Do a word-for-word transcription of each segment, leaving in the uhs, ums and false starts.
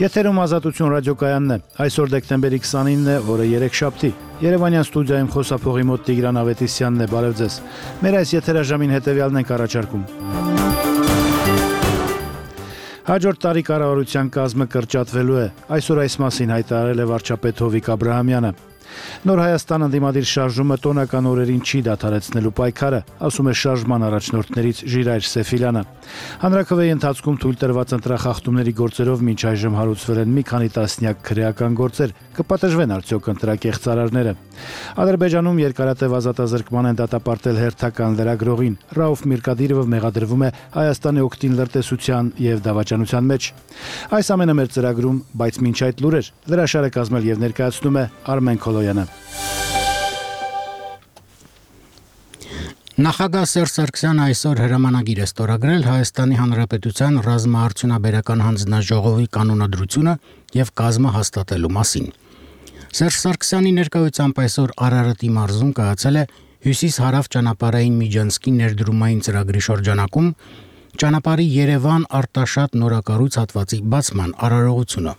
Եթերում Ազատություն ռադիոկայանն է։ Այսօր դեկտեմբերի քսանինն է, օրը երեքշաբթի։ Երևանյան ստուդիայում խոսափողի մոտ Տիգրան Ավետիսյանն է, բարև ձեզ։ Մեր այս եթերաժամին հետևյալն ենք առաջարկում։ Հաջորդ տարի կառավարության կազմը կրճատվելու է։ Այսօր այս մասին հայտարարել է վարչապետ Հովիկ Աբրահամյանը։ Նոր Հայաստան ընդդիմադիր շարժումը տոնական օրերին չի դադարեցնելու պայքարը, ասում է շարժման առաջնորդներից Ժիրայր Սեֆիլյանը։ Հանրաքվեի ընթացքում թույլ տրված ընտրախախտումների գործերով մինչ այժմ հարուցվել են մի քանի տասնյակ քրեական գործեր, կպատժվեն արդյոք ընտրակեղծարարները։ Ադրբեջանում երկարատև ազատազրկման են դատապարտել հերթական լրագրողին։ Ռաուֆ Միրկադիրովը մեղադրվում է Հայաստանի օգտին լրտեսության եւ դավաճանության մեջ։ Այս ամենը մեր ծրագրում, բայց մինչ այդ լուրեր լրաշարը կազմել եւ ներկայացնում է Արմեն Քոլոյանը։ Նախագահ Սերժ Սարգսյանը այսօր հրամանագիր է ստորագրել Հայաստանի Հանրապետության ռազմաարդյունաբերական հանձնաժողովի կանոնադրությունը եւ կազմը հաստատելու մասին։ Սերժ Սարգսյանի ներկայությամբ այսօր Արարատի մարզում կայացել է Հյուսիս-Հարավ ճանապարհային միջանցքի ներդրումային ծրագրի շրջանակում ճանապարհի Երևան-Արտաշատ նորակառույց հատվածի բացման արարողությունը։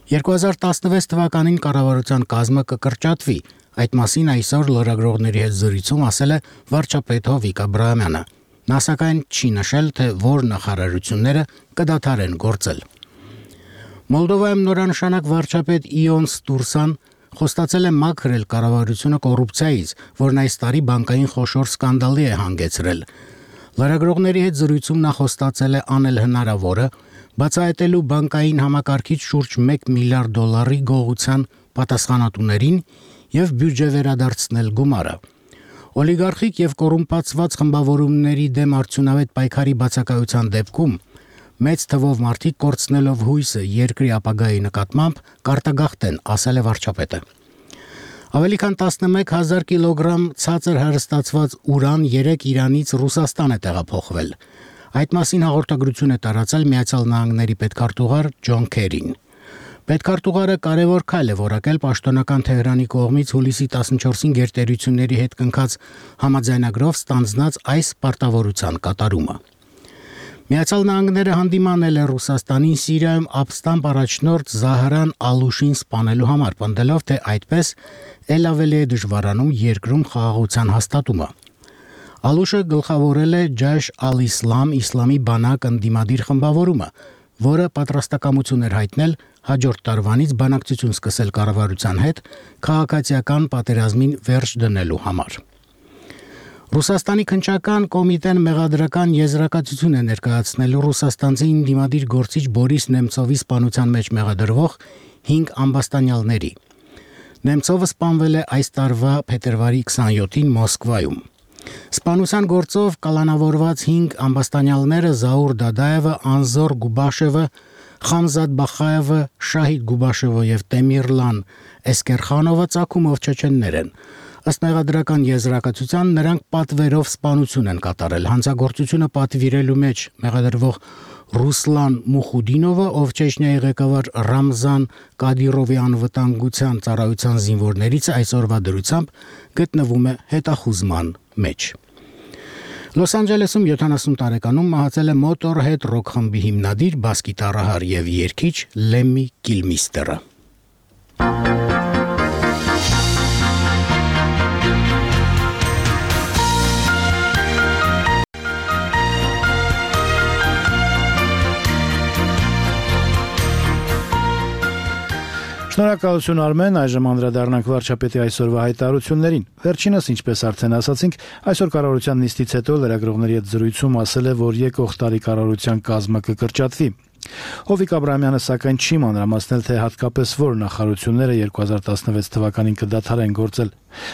երկու հազար տասնվեց թվականին կառավարության կազմը կկրճատվի, այդ մասին այսօր լրագրողների հետ զրույցում ասել է վարչապետ Հովիկ Աբրահամյանը։ Նա սակայն չի նշել, թե որ նախարարությունները կդադարեն գործել։ Մոլդովայում նորանշանակ վարչապետ Իոն Ստուրսան խոստացել է մաքրել կառավարությունը կոռուպցիայից, որն այս տարի բանկային խոշոր սկանդալի է հանգեցրել։ Լրագրողների հետ զրույցում նա խոստացել է անել հնարավորը բացահայտելու բանկային համակարգից շուրջ մեկ միլիարդ դոլարի գողության պատասխանատուներին եւ բյուջե վերադարձնել գումարը։ Օլիգարխիկ եւ կոռումպացված խմբավորումների դեմ արդյունավետ պայքարի բացակայության դեպքում մեծ թվով մարդիկ կորցնելով հույսը երկրի ապագայի նկատմամբ կարտագաղթեն, ասել է վարչապետը։ Ավելի քան տասնմեկ հազար կիլոգրամ ցածր հարստացված ուրան երեք Իրանից Ռուսաստան է տեղափոխվել։ Այդ մասին հաղորդագրություն է տարածել Միացյալ Նահանգների պետքարտուղար Ջոն Քերին։ Պետքարտուղարը կարևոր քայլ է որակել պաշտոնական Թեհրանի կողմից հուլիսի տասնչորսին գերտերությունների հետ կնքած համաձայնագրով ստանձնած այս պարտավորության կատարումը։ Միացյալ Նահանգները հանդիմանել է Ռուսաստանին Սիրիայում ապստամբ առաջնորդ Զահրան Ալուշին սպանելու համար, պնդելով, թե այդպես էլ ավելի է դժվարանում երկրում խաղաղության հաստատումը։ Ալուշը գլխավորել է Ջայշ ալ-Իսլամ իսլամի բանակ ընդդիմադիր խմբավորումը, որը պատրաստակամություն էր հայտնել հաջորդ տարվանից բանակցություն սկսել կառավարության հետ քաղաքացիական պատերազմին վերջ դնելու համար։ Ռուսաստանի քննչական կոմիտեն մեղադրական եզրակացություն է ներկայացնելու ռուսաստանցի ընդդիմադիր գործիչ Բորիս Նեմցովի սպանության մեջ մեղադրվող հինգ ամբաստանյալների։ Նեմցովը սպանվել է այս տարվա փետրվարի քսանյոթին Մոսկվայում։ Սպանության գործով կալանավորված հինգ ամբաստանյալները Զաուր Դադաևը, Անզոր Գուբաշևը, Խամզադ Բախաևը, Շահիդ Գուբաշևը եւ Տեմիրլան Էսկերխանովը ցակումով չեչեններ են։ Ըստ մեղադրական եզրակացության նրանք պատվերով սպանություն են կատարել։ Հանցագործությունը պատվիրելու մեջ մեղադրվող Ռուսլան Մուխուդինովը, ով Չեչնիայի ղեկավար Ռամզան Կադիրովի անվտանգության ծառայության զինվորներից այսօրվա դրությամբ գտնվում է հետախուզման մեջ։ Լոս Անջելեսում յոթանասուն տարեկանում մահացել է Motorhead ռոք խմբի հիմնադիր, բաս-գիտառահար եւ երգիչ Լեմի Կիլմիստերը։ Շնորհակալություն Արմեն, այժմ անդրադառնանք վարչապետի այսօրվա հայտարարություններին։ Վերջինս, ինչպես արդեն ասացինք, այսօր կառավարության նիստից հետո լրագրողների հետ զրույցում ասել է, որ եկող տարի կառավարության կազմը կկրճատվի։ Հովիկ Աբրահամյանը սակայն չի մանրամասնել, թե հատկապես որ նախարարությունները երկու հազար տասնվեց թվականին կդադարեն գործել։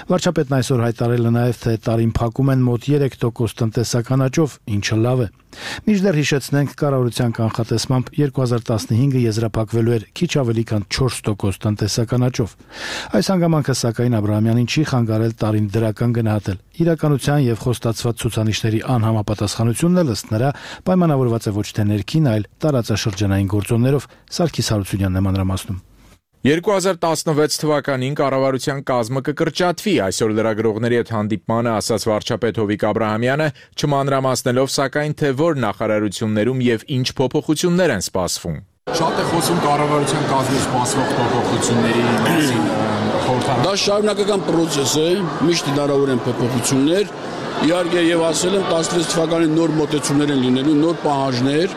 Վարչապետն այսօր հայտարարել է նաև, թե տարին փակում են մոտ երեք տոկոս տնտեսական աճով, ինչը լավ է։ Մինչդեռ հիշեցնենք, կառավարության կանխատեսմամբ երկու հազար տասնհինգը եզրափակվելու էր քիչ ավելի քան չորս տոկոս տնտեսական աճով։ Այս հանգամանքը սակայն Աբրահամյանին չի խանգարել տարին դրական գնահատել։ Իրականության եւ խոստացված ցուցանիշների անհամապատասխանությունն էլ ըստ նրա պայմանավորված է ոչ թե ներքին, այլ տարածաշրջանային գործոններով։ Սարգիս Հարությունյանն է մանրամասնում։ երկու հազար տասնվեց թվականին կառավարության կազմը կկրճատվի, այսօր լրագրողների հետ հանդիպմանը ասաց վարչապետ Հովիկ Աբրահամյանը, չմանրամասնելով սակայն թե որ նախարարություններում եւ ինչ փոփոխություններ են սպասվում։ Շատ է խոսում կառավարության կազմում սպասվող փոփոխությունների մասին, խորհրդարան։ Դա շարունակական process է, միշտ հնարավոր են փոփոխություններ։ Իհարկե եւ ասել եմ տասնվեց թվականի նոր մոտեցումներ են լինելու, նոր պահանջներ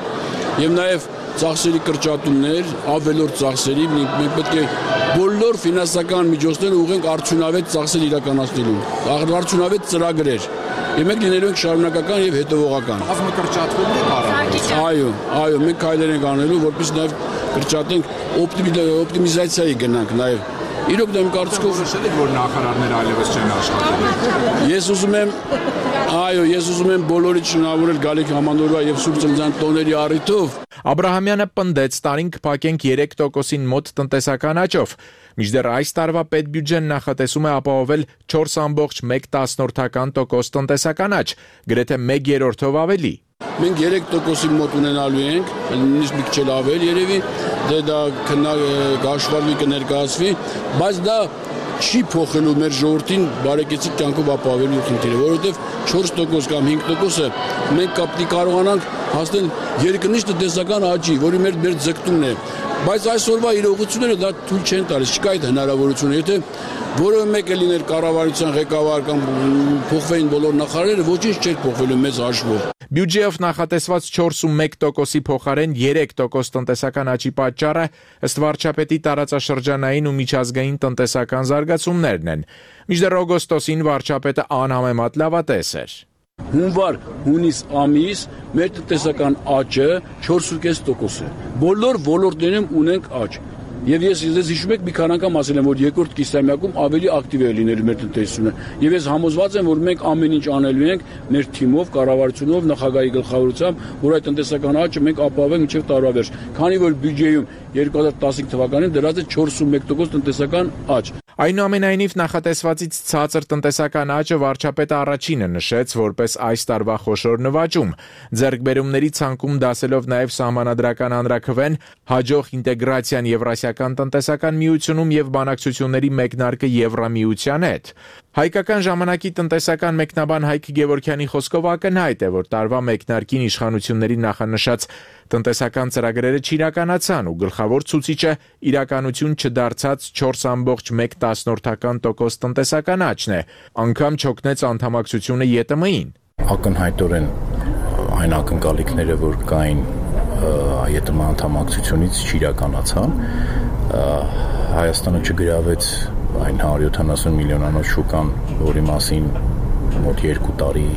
եւ նաեւ ծախսերի կրճատումներ, ավելորդ ծախսերի, մենք պետք է բոլոր ֆինանսական միջոցները ուղղենք արդյունավետ ծախսեր իրականացնելու, արդյունավետ ծրագրեր։ Եվ մենք լինելու ենք շարունակական եւ հետևողական։ Կազմը կրճատվում է կառավարության։ Այո, այո, մենք քայլեր ենք անելու, որպեսզի նաեւ կրճատենք օպտիմիզացիայի գնանք նաեւ։ Իրոք դա իմ կարծիքով նշել եք, որ նախարարները այլևս չեն աշխատելու։ Ես ուզում եմ, այո, ես ուզում եմ բոլորիդ շնորհավորել Գալիք Համանդորվա եւ Սուրբ Ծննդյան տոների առիթով։ Աբրահամյանը պնդեց, տարին կփակենք երեք տոկոսին մոտ տնտեսական աճով։ Մինչդեռ այս տարվա պետբյուջեն նախատեսում է ապահովել չորս ամբողջ մեկ տոկոս տնտեսական աճ, գրեթե մեկ երրորդով ավելի։ Մենք երեք տոկոսի մոտ ունենալու ենք, նույնիսկ մի քիչ ավել երևի, դե դա գաշվարվի կներկայացվի, բայց դա չի փոխելու մեր ժողովրդին բարեկեցիկ կյանքով ապահովելու խնդիրը, որովհետև չորս տոկոս կամ հինգ տոկոսը մենք կապտի կարողանանք հասնել երկնիշ տնտեսական աճի, որի մեր մեր ձգտումն է, բայց այսօրվա իրողությունները դա թույլ չեն տալիս, չկա այդ հնարավորությունը, եթե որևէ մեկը լիներ կառավարության ղեկավար կամ փոխվեին բոլոր նախարարները, ոչինչ չէր փոխվելու մեծ հաշվով։ Բյուջեով նախատեսված չորս ու մեկ տոկոսի փոխարեն երեք տոկոս տնտեսական աճի պատճառը ըստ վարչապետի տարածաշրջանային ու միջազգային տնտեսական զարգացումներն են։ Մինչդեռ օգոստոսին վարչապետը անհամեմատ լավատես էր։ Հունվար, հունիս ամիս մեր տնտեսական աճը չորս ու կես տոկոս է։ Բոլոր ոլորտներում ունենք աճ։ Եվ ես ես հիշում եք մի քանի անգամ ասել եմ, որ երկրորդ կիսամյակում ավելի ակտիվ է լինելու մեր տնտեսությունը։ Եվ ես համոզված եմ, որ մենք ամեն ինչ անելու ենք մեր թիմով, կառավարությունով, նախագահի գլխավորությամբ, որ այդ տնտեսական աճը մենք ապահովենք մինչև տարվա վերջ։ Քանի որ բյուջեում երկու հազար տասնհինգ թվականին դրած է չորս ու մեկ տոկոս տնտեսական աճ։ Այնուամենայնիվ նախատեսվածից ցածր տնտեսական աճը վարչապետը առաջինը նշեց որպես այս տարվա խոշոր նվաճում։ Ձեռքբերումների ցանկում դասելով նաև սահմանադրական հանրաքվեն, հաջող ինտեգրացիան Եվրասիական տնտեսական միությունում եւ բանակցությունների մեկնարկը Եվրամիության հետ։ Հայկական ժամանակի տնտեսական մեկնաբան Հայկ Գևորգյանի խոսքով ակնհայտ է, որ տարվա մեկնարկին իշխանությունների նախանշած տնտեսական ծրագրերը չիրականացան ու գլխավոր ցուցիչը իրականություն չդարձած չորս ամբողջ մեկ տոկոս տնտեսական աճն է, անգամ չօգնեց անդամակցությունը ԵՏՄ-ին։ Ակնհայտորեն այն ակնկալիքները, որ կային ԵՏՄ անդամակցությունից չիրականացան, Հայաստանը չգրավեց այն հարյուր յոթանասուն միլիոնանոց շուկան, որի մասին մոտ երկու տարի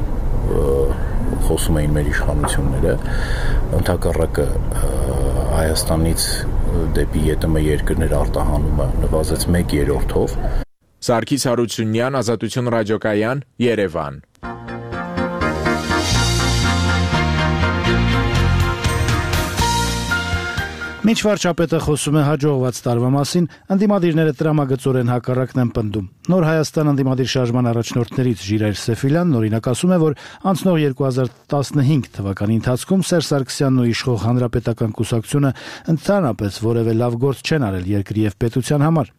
խոսում էին մեր իշխանությունները, ընդհակառակը Հայաստանից դեպի ԵՏՄ երկրներ արտահանումը նվազեց մեկ երրորդով։ Սարգիս Հարությունյան, Ազատություն ռադիոկայան, Երևան։ Մինչ վարչապետը խոսում է հաջողված տարվա մասին, ընդդիմադիրները տրամագծորեն հակառակն են պնդում։ Նոր Հայաստան ընդդիմադիր շարժման առաջնորդներից Ժիրայր Սեֆիլյանն օրինակ ասում է, որ անցնող երկու հազար տասնհինգ թվականի ընթացքում Սերժ Սարգսյանն ու իշխող Հանրապետական կուսակցությունը ընդհանրապես որևէ լավ գործ չեն արել երկրի եւ պետության համար։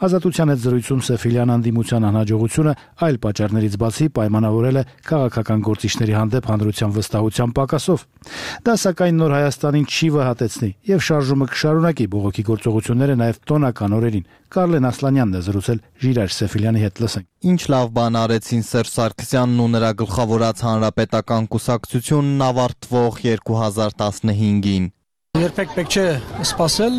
Ազատության հետ զրույցում Սեֆիլյան անդիմության անհաջողությունը այլ պատճառներից բացի պայմանավորել է քաղաքական գործիչների հանդեպ հանրության վստահության պակասով։ Դա սակայն Նոր Հայաստանին չի վհատեցնի եւ շարժումը կշարունակի բողոքի գործողությունները նաեւ տոնական օրերին։ Կարլեն Ասլանյանն է զրուցել Ժիրայր Սեֆիլյանի հետ, լսենք։ Ինչ լավ բան արեցին Սերժ Սարգսյանն ու նրա գլխավորած Հանրապետական կուսակցությունն ավարտվող երկու հազար տասնհինգին։ Երբեք պետք չէ սպասել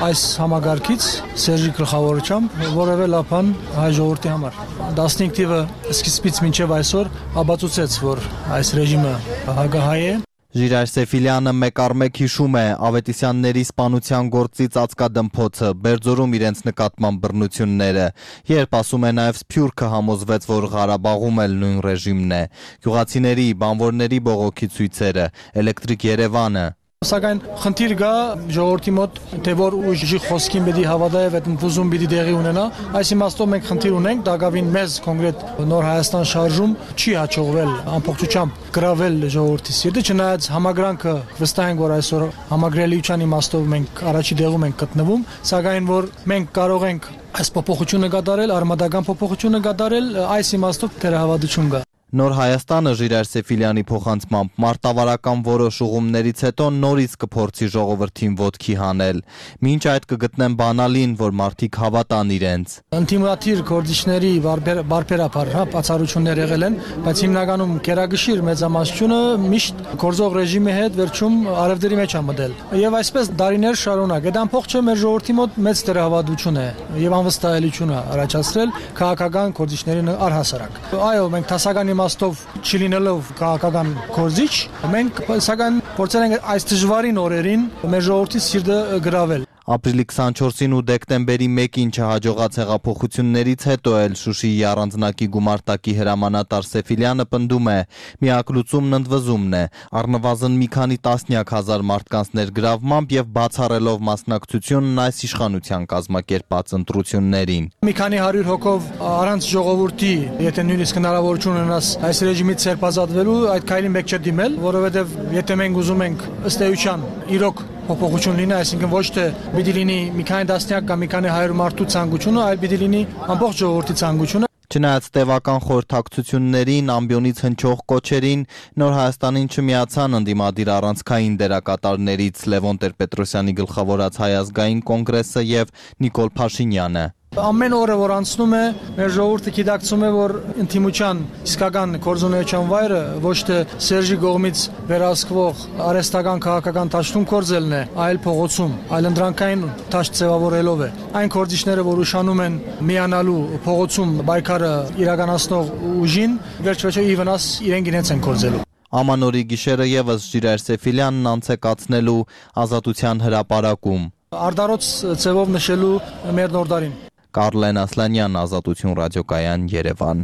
այս համագարկից Սերժի գլխավորությամբ որևէ լավ բան հայ ժողովրդի համար։ տասնհինգ թիվը սկիզբից մինչև այսօր ապացուցեց, որ այս ռեժիմը հակահայ է։ Ժիրայր Սեֆիլյանը մեկ առ մեկ հիշում է Ավետիսյանների սպանության գործից ածկադմփոցը, Բերձորում իրենց նկատմամբ բռնությունները, երբ ասում է նաև Սփյուռքը համոզվեց, որ Ղարաբաղում էլ նույն ռեժիմն է, գյուղացիների, բանվորների բողոքի ցույցերը, Էլեկտրիկ Երևանը։ Սակայն խնդիր կա ժողովրդի մոտ, թե որ ուժի խոսքին պետք է հավատա եւ այդ ընդուզում պետք է տեղի ունենա։ Այս իմաստով մենք խնդիր ունենք, դակավին մեզ կոնկրետ Նոր Հայաստան շարժում չի հաջողվել ամբողջությամբ գրավել ժողովրդի սիրտը, չնայած համագրանքը վստահ ենք, որ այսօր համագրելիության իմաստով մենք առաջի տեղում ենք գտնվում, սակայն որ մենք կարող ենք այս փոփոխությունը կատարել, արմատական փոփոխությունը կատարել, այս իմաստով դեռ հավատություն կա։ Նոր Հայաստանը Ժիրայր Սեֆիլյանի փոխանցմամբ մարտավարական որոշ ուղումներից հետո նորից կփորձի ժողովրդին ոտքի հանել։ Մինչ այդ կգտնեն բանալին, որ մարդիկ հավատան իրենց։ Ինտիմատիր գործիչների բարբերաբար հա բացառություններ եղել են, բայց հիմնականում կերակշիռ մեծամասնությունը միշտ գործող ռեժիմի հետ վերջում արևդերի մեջ է մտել։ Եվ այսպես դարիներ շարունակ։ Այդ ամփոխ չէ մեր ժողովրդի մոտ մեծ դերահավատություն է եւ անվստահելիություն է առաջացրել քաղաքական գործիչներին առհասարակ։ Այո, մենք դասական իմաստով չլինելով քաղաքական գործիչ, մենք սակայն փորձել ենք այս դժվարին օրերին մեր ժողովրդի սիրտը գրավել։ Ապրիլի քսանչորսին ու դեկտեմբերի մեկին չհաջողած հեղափոխություններից հետո էլ Շուշիի առանձնակի գումարտակի հրամանատար Սեֆիլյանը պնդում է, միակ լուծումն ընդվզումն է, առնվազն մի քանի տասնյակ հազար մարդկանց ներգրավմամբ եւ բացառելով մասնակցությունն այս իշխանության կազմակերպած ընտրություններին։ Մի քանի հարյուր հոգով առանց ժողովրդի, եթե նույնիսկ հնարավորություն ունենաս այս ռեժիմից ցերպազատվելու, այդ քայլին մեկ չէ դիմել, որովհետեւ եթե մենք ուզում ենք ըստ էության իրոք փոփոխություն լինի, այսինքն ոչ թե պիտի լինի մի քանի դասնյակ կամ մի քանի հարյուր մարդու ցանկությունը, այլ պիտի լինի ամբողջ ժողովրդի ցանկությունը։ Չնայած տևական խորհրդակցություններին, ամբիոնից հնչող կոչերին, Նոր Հայաստանին չմիացան ընդդիմադիր առանցքային դերակատարներից Լևոն Տեր-Պետրոսյանի գլխավորած Հայ ազգային կոնգրեսը եւ Նիկոլ Փաշինյանը։ Ամեն օրը որ անցնում է, մեր ժողովուրդը գիտակցում է, որ ինտիմության իսկական գործունեության վայրը ոչ թե Սերժի կողմից վերահսկվող արհեստական քաղաքական դաշտում կորձելն է, այլ փողոցում, այլ ընդրանքային դաշտ ձևավորելով է։ Այն գործիչները, որ ուշանում են միանալու փողոցում պայքարը իրականացնող ուժին, վերջ-վերջո ի վնաս իրենք իրենց են կորձելու։ Ամանորի գիշերը եւս Ժիրայր Սեֆիլյանն անց է կացնելու ազատության հրապարակում։ Արդարոց ձևով նշելու մեր նորդարին։ Կարլեն Ասլանյան, Ազատություն ռադիոկայան, Երևան։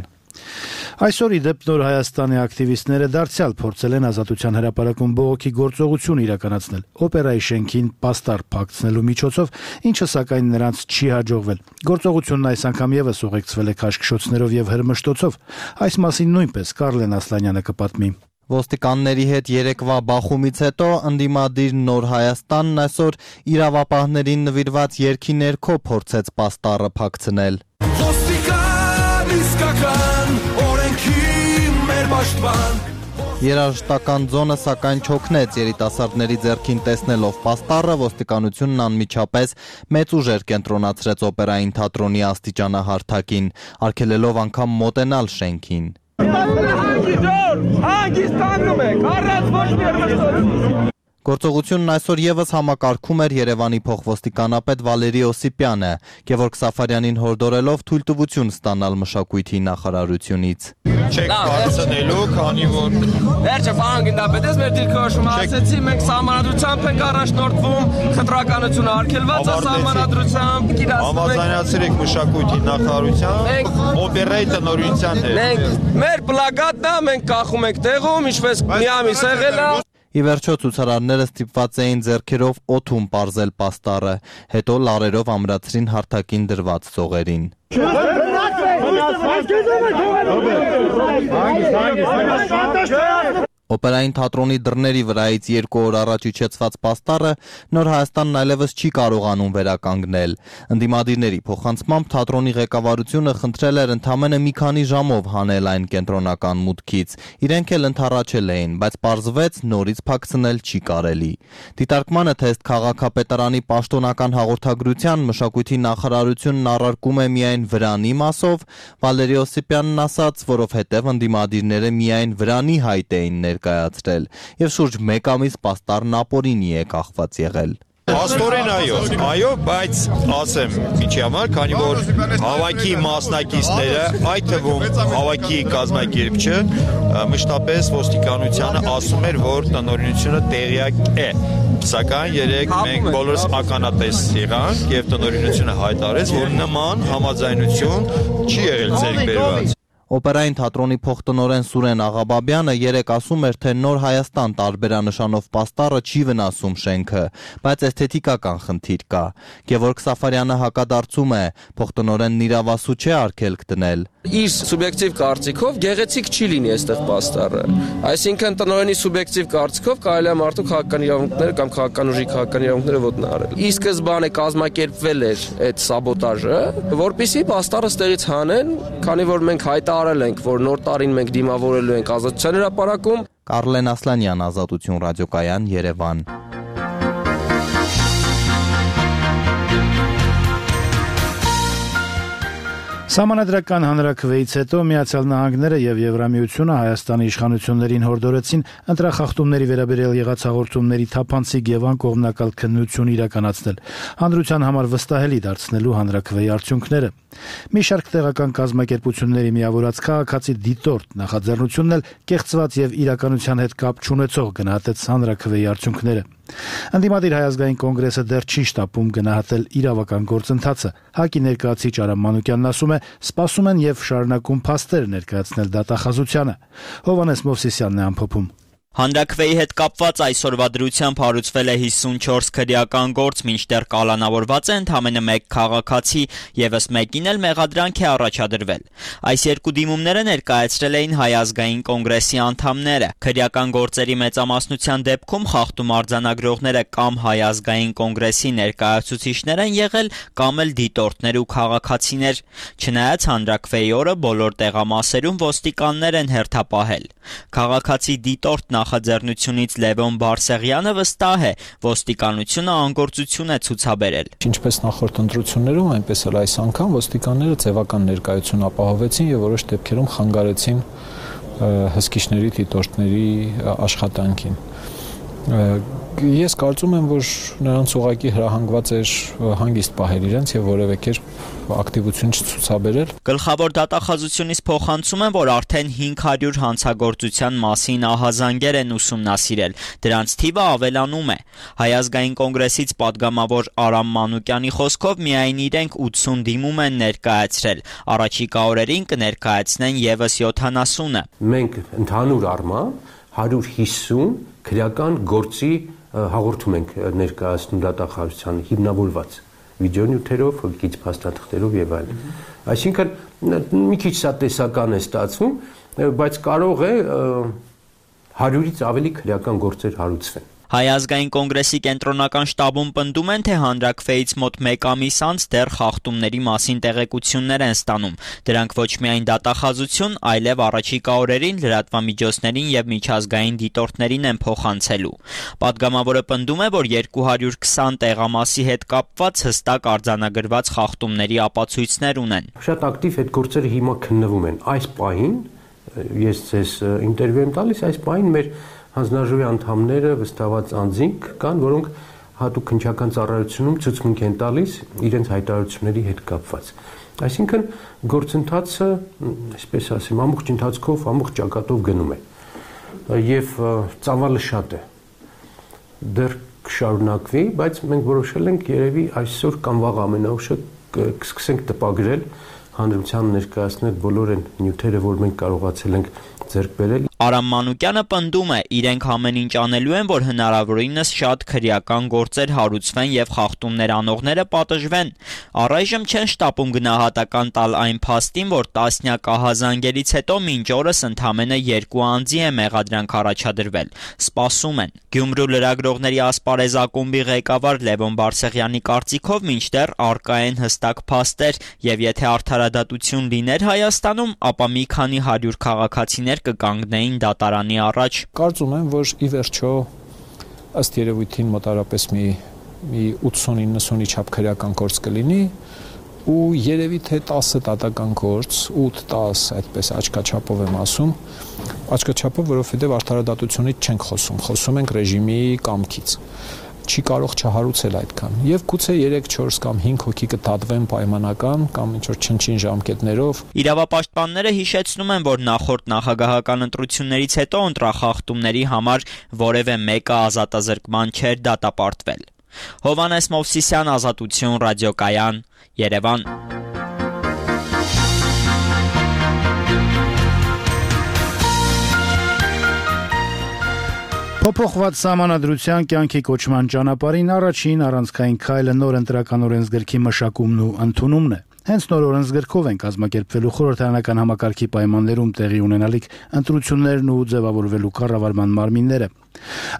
Այսօր ի դեպ Նոր Հայաստանի ակտիվիստները դարձյալ փորձել են ազատության հրապարակում բողոքի գործողություն իրականացնել օպերայի շենքին պաստառ փակցնելու միջոցով, ինչը սակայն նրանց չի հաջողվել։ Գործողությունն այս անգամ եւս ուղեկցվել է քաշքշոցներով եւ հրմշտոցով։ Այս մասին նույնպես Կարլեն Ասլանյանը կպատմի։ Ոստիկանների հետ երեկվա բախումից հետո ընդդիմադիր Նոր Հայաստանն այսօր իրավապահներին նվիրված երգի ներքո փորձեց պաստառը փակցնել։ Ոստիկան իսկական օրենքի մեր պաշտպան։ Երաժշտական ձոնը սակայն չօգնեց երիտասարդների ձեռքին տեսնելով պաստառը, ոստիկանությունն անմիջապես մեծ ուժեր կենտրոնացրեց օպերային թատրոնի աստիճանահարթակին, արգելելով անգամ մոտենալ շենքին։ Գործողությունն այսօր եւս համակարգում էր Երևանի փոխոստիկանապետ Վալերի Օսիպյանը, Գևորգ Սաֆարյանին հորդորելով թույլտվություն ստանալ մշակույթի նախարարությունից։ Չեք բարձնելու, քանի որ վերջը պարոն գնդապետես մեր դիրքորոշումը ասեցի, մենք սահմանադրությամբ ենք առաջնորդվում, խտրականությունը արգելված է սահմանադրությամբ, համաձայնացրեք մշակույթի նախարարության, օպերայի տնօրինության հետ։ Մենք մեր պլակատն է, մենք կախում ենք տեղում, ինչպես մի ամիս եղել է։ Ի վերջո ցուցարարները ստիպված էին ձեռքերով օդում պարզել պաստառը, հետո լարերով ամրացրին հարթակին դրված ծողերին։ Օպերային թատրոնի դռների վրայից երկու օր առաջ իջեցված պաստառը Նոր Հայաստանն այլևս չի կարողանում վերականգնել։ Ընդդիմադիրների փոխանցմամբ թատրոնի ղեկավարությունը խնդրել էր ընդամենը մի քանի ժամով հանել այն կենտրոնական մուտքից։ Իրենք էլ ընդառաջել էին, բայց պարզվեց նորից փակցնել չի կարելի։ Դիտարկմանը թե ըստ քաղաքապետարանի պաշտոնական հաղորդագրության մշակույթի նախարարությունն առարկում է միայն վրանի մասով, Վալերի Օսիպյանն ասաց, որովհետև ընդդիմադիրները միայն վրանի հայտ էին ներկայացրել եւ շուրջ մեկ ամիս պաստառն ապօրինի է կախված եղել։ Աստորեն այո, այո, բայց ասեմ, ինչի համար, քանի որ հավաքի մասնակիցները, այդ թվում հավաքի կազմակերպիչը մշտապես ոստիկանությանը ասում էր, որ տնօրինությունը տեղյակ է։ Սակայն երեք մենք բոլորս ականատես եղանք եւ տնօրինությունը հայտարարեց, որ նման համաձայնություն չի եղել ձեռք բերված։ Օպերային թատրոնի փոխտնօրեն Սուրեն Աղաբաբյանը երեկ ասում էր, թե Նոր Հայաստան տարբերանշանով պաստառը չի վնասում շենքը, բայց էսթետիկական խնդիր կա։ Գևորգ Սաֆարյանը հակադարձում է, փոխտնօրենն իրավասու չէ արգելք դնել։ Իր սուբյեկտիվ կարծիքով գեղեցիկ չի լինի այստեղ պաստառը։ Այսինքն տնօրենի սուբյեկտիվ կարծիքով կարելի է մարդու քաղաքական իրավունքները կամ քաղաքական ուժի քաղաքական իրավունքները ոտնահարել։ Ի սկզբանե կազմակերպվել էր այդ սաբոտաժը, որպեսզի պաստառը ստեղից հանեն, քանի որ մենք հայտարարում հայտարարել ենք, որ նոր տարին մենք դիմավորելու ենք ազատության հրապարակում։ Կարլեն Ասլանյան, Ազատություն ռադիոկայան, Երևան։ Սահմանադրական հանրաքվեից հետո Միացյալ Նահանգները եւ Եվրամիությունը Հայաստանի իշխանություններին հորդորեցին ընտրախախտումների վերաբերյալ եղած հաղորդումների թափանցիկ եւ անկողմնակալ քննություն իրականացնել, հանրության համար վստահելի դարձնելու հանրաքվեի արդյունքները։ Մի շարք տեղական կազմակերպությունների միավորած քաղաքացի դիտորդ նախաձեռնությունն էլ կեղծված եւ իրականության հետ կապ չունեցող գնահատեց հանրաքվեի արդյունքները։ Ընդդիմադիր Հայ ազգային կոնգրեսը դեռ չի շտապում գնահատել իրավական գործընթացը։ ՀԱԿ-ի ներկայացուցիչ Արամ Մանուկյանն ասում է, սպասում են եւ շարունակում փաստեր ներկայացնել դատախազությանը։ Հովհաննես Մովսիսյանն է ամփոփում։ Հանրաքվեի հետ կապված այսօրվա դրությամբ հարուցվել է հիսունչորս քրեական գործ, մինչդեռ կալանավորված է ընդամենը մեկ քաղաքացի, եւս մեկին էլ մեղադրանք է առաջադրվել։ Այս երկու դիմումները ներկայացրել էին Հայ ազգային կոնգրեսի անդամները։ Քրեական գործերի մեծամասնության դեպքում խախտում արձանագրողները կամ Հայ ազգային կոնգրեսի ներկայացուցիչներ են եղել, կամ էլ դիտորդներ ու քաղաքացիներ։ Չնայած հանրաքվեի օրը բոլոր տեղամասերում ոստիկաններ են հերթապահել։ Քաղաքացի դիտորդ նախաձեռնությունից Լևոն Բարսեղյանը վստահ է, ոստիկանությունը անգործություն է ցուցաբերել։ Ինչպես նախորդ ընտրություններում, այնպես էլ այս անգամ ոստիկանները ձևական ներկայություն ապահովեցին եւ որոշ դեպքերում խանգարեցին հսկիչների դիտորդների աշխատանքին։ Ես կարծում եմ, որ նրանց ուղղակի հրահանգված էր հանգիստ պահել իրենց եւ որևէ կերպ ակտիվություն չցուցաբերել։ Գլխավոր դատախազությունից փոխանցում են, որ արդեն հինգ հարյուր հանցագործության մասին ահազանգեր են ուսումնասիրել։ Դրանց թիվը ավելանում է։ Հայ ազգային կոնգրեսից падգամավոր Արամ Մանուկյանի խոսքով միայն իրենք ութսուն դիմում են ներկայացրել։ Առաջիկա օրերին կներկայացնեն եւս յոթանասունը։ Մենք ընդհանուր առմամբ հարյուր հիսուն քրեական գործի հաղորդում ենք ներկայացնում դատախազությանը հիմնավորված վիդեոնյութերով, քիչ փաստաթղթերով եւ այլն։ Այսինքն մի քիչ սա տեսական է ստացվում, բայց կարող է հարյուրից ավելի քրեական գործեր հարուցվեն։ Հայ ազգային կոնգրեսի կենտրոնական շտաբում պնդում են, թե հանրաքվեից մոտ մեկ ամիս անց դեռ խախտումների մասին տեղեկություններ են ստանում։ Դրանք ոչ միայն դատախազություն, այլև առաջիկա օրերին լրատվամիջոցներին եւ միջազգային դիտորդներին են փոխանցելու։ Պատգամավորը պնդում է, որ երկու հարյուր քսան տեղամասի հետ կապված հստակ արձանագրված խախտումների ապացույցներ ունեն։ Շատ ակտիվ այդ գործերը հիմա քննվում են։ Այս պահին ես ձեզ ինտերվյու եմ տալիս, այս պահին մեր հանձնաժողովի անդամները վստահված անձինք կան, որոնք հատուկ քննչական ծառայությունում ցուցմունք են տալիս իրենց հայտարարությունների հետ կապված։ Այսինքն գործընթացը, այսպես ասեմ, ամբողջ ընթացքով, ամբողջ ճակատով գնում է։ Եվ ծավալը շատ է։ Դեռ կշարունակվի, բայց մենք որոշել ենք երևի այսօր կամ վաղ ամենաուշը կսկսենք տպագրել, հանրության ներկայացնել բոլոր այն նյութերը, որ մենք կարողացել ենք ձեռք բերել։ Արամ Մանուկյանը պնդում է, իրենք ամեն ինչ անելու են, որ հնարավորինս շատ քրեական գործեր հարուցվեն եւ խախտումներ անողները պատժվեն։ Առայժմ չեն շտապում գնահատական տալ այն փաստին, որ տասնյակ ահազանգերից հետո մինչ օրս ընդամենը երկու անձի է մեղադրանք առաջադրվել։ Սպասում են։ Գյումրու լրագրողների ասպարեզ ակումբի ղեկավար Լևոն Բարսեղյանի կարծիքով մինչդեռ առկա են հստակ փաստեր եւ եթե արդարադատություն լիներ Հայաստանում, ապա մի քանի հարյուր քաղաքացիներ կկանգնեին դատարանի առաջ։ Կարծում եմ, որ ի վերջո ըստ երևույթին մոտարապես մի մի ութսուն իննսունի չափ քրեական գործ կլինի ու երևի թե տասը դատական գործ, ութ տաս այդպես աչքաչափով եմ ասում, աչքաչափով, որովհետև արդարադատությունից չենք խոսում, խոսում ենք ռեժիմի կամքից։ Չի կարող չհարուցել այդքան։ Եվ գուցե երեք չորս կամ հինգ հոգի կդատվեն պայմանական կամ ինչ-որ չնչին ժամկետներով։ Իրավապաշտպանները հիշեցնում են, որ նախորդ նախագահական ընտրություններից հետո ընտրախախտումների համար որևէ մեկը ազատազրկման չէր դատապարտվել։ Հովհաննես Մովսիսյան, Ազատություն ռադիոկայան, Երևան։ Փոփոխված սահմանադրության կյանքի կոչման ճանապարհին առաջին առանցքային քայլը նոր ընտրական օրենսգրքի մշակումն ու ընդունումն է։ Հենց նոր օրենսգրքով են կազմակերպվելու խորհրդարանական համակարգի պայմաններում տեղի ունենալիք ընտրություններն ու ձևավորվելու կառավարման մարմինները։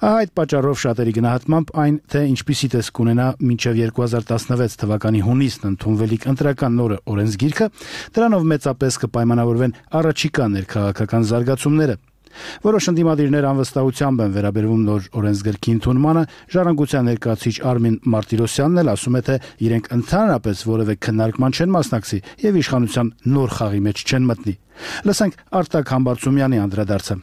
Այդ պատճառով շատերի գնահատմամբ այն, թե ինչպիսի տեսք ունենա մինչև երկու հազար տասնվեց թվականի հունիսն ընդունվելիք ընտրական նոր օրենսգիրքը, դրանով մեծապես կպայմանավորվեն առաջիկա ներքաղաքական զարգացումները։ Որոշ ընդդիմադիրներ անվստահությամբ են վերաբերվում նոր օրենսգրքի ընդունմանը, Ժառանգության ներկայացուցիչ Արմին Մարտիրոսյանն էլ ասում է, թե իրենք ընդհանրապես որևէ քննարկման չեն մասնակցի եւ իշխանության նոր խաղի մեջ չեն մտնի։ Լսենք Արտակ Համբարձումյանի անդրադարձը։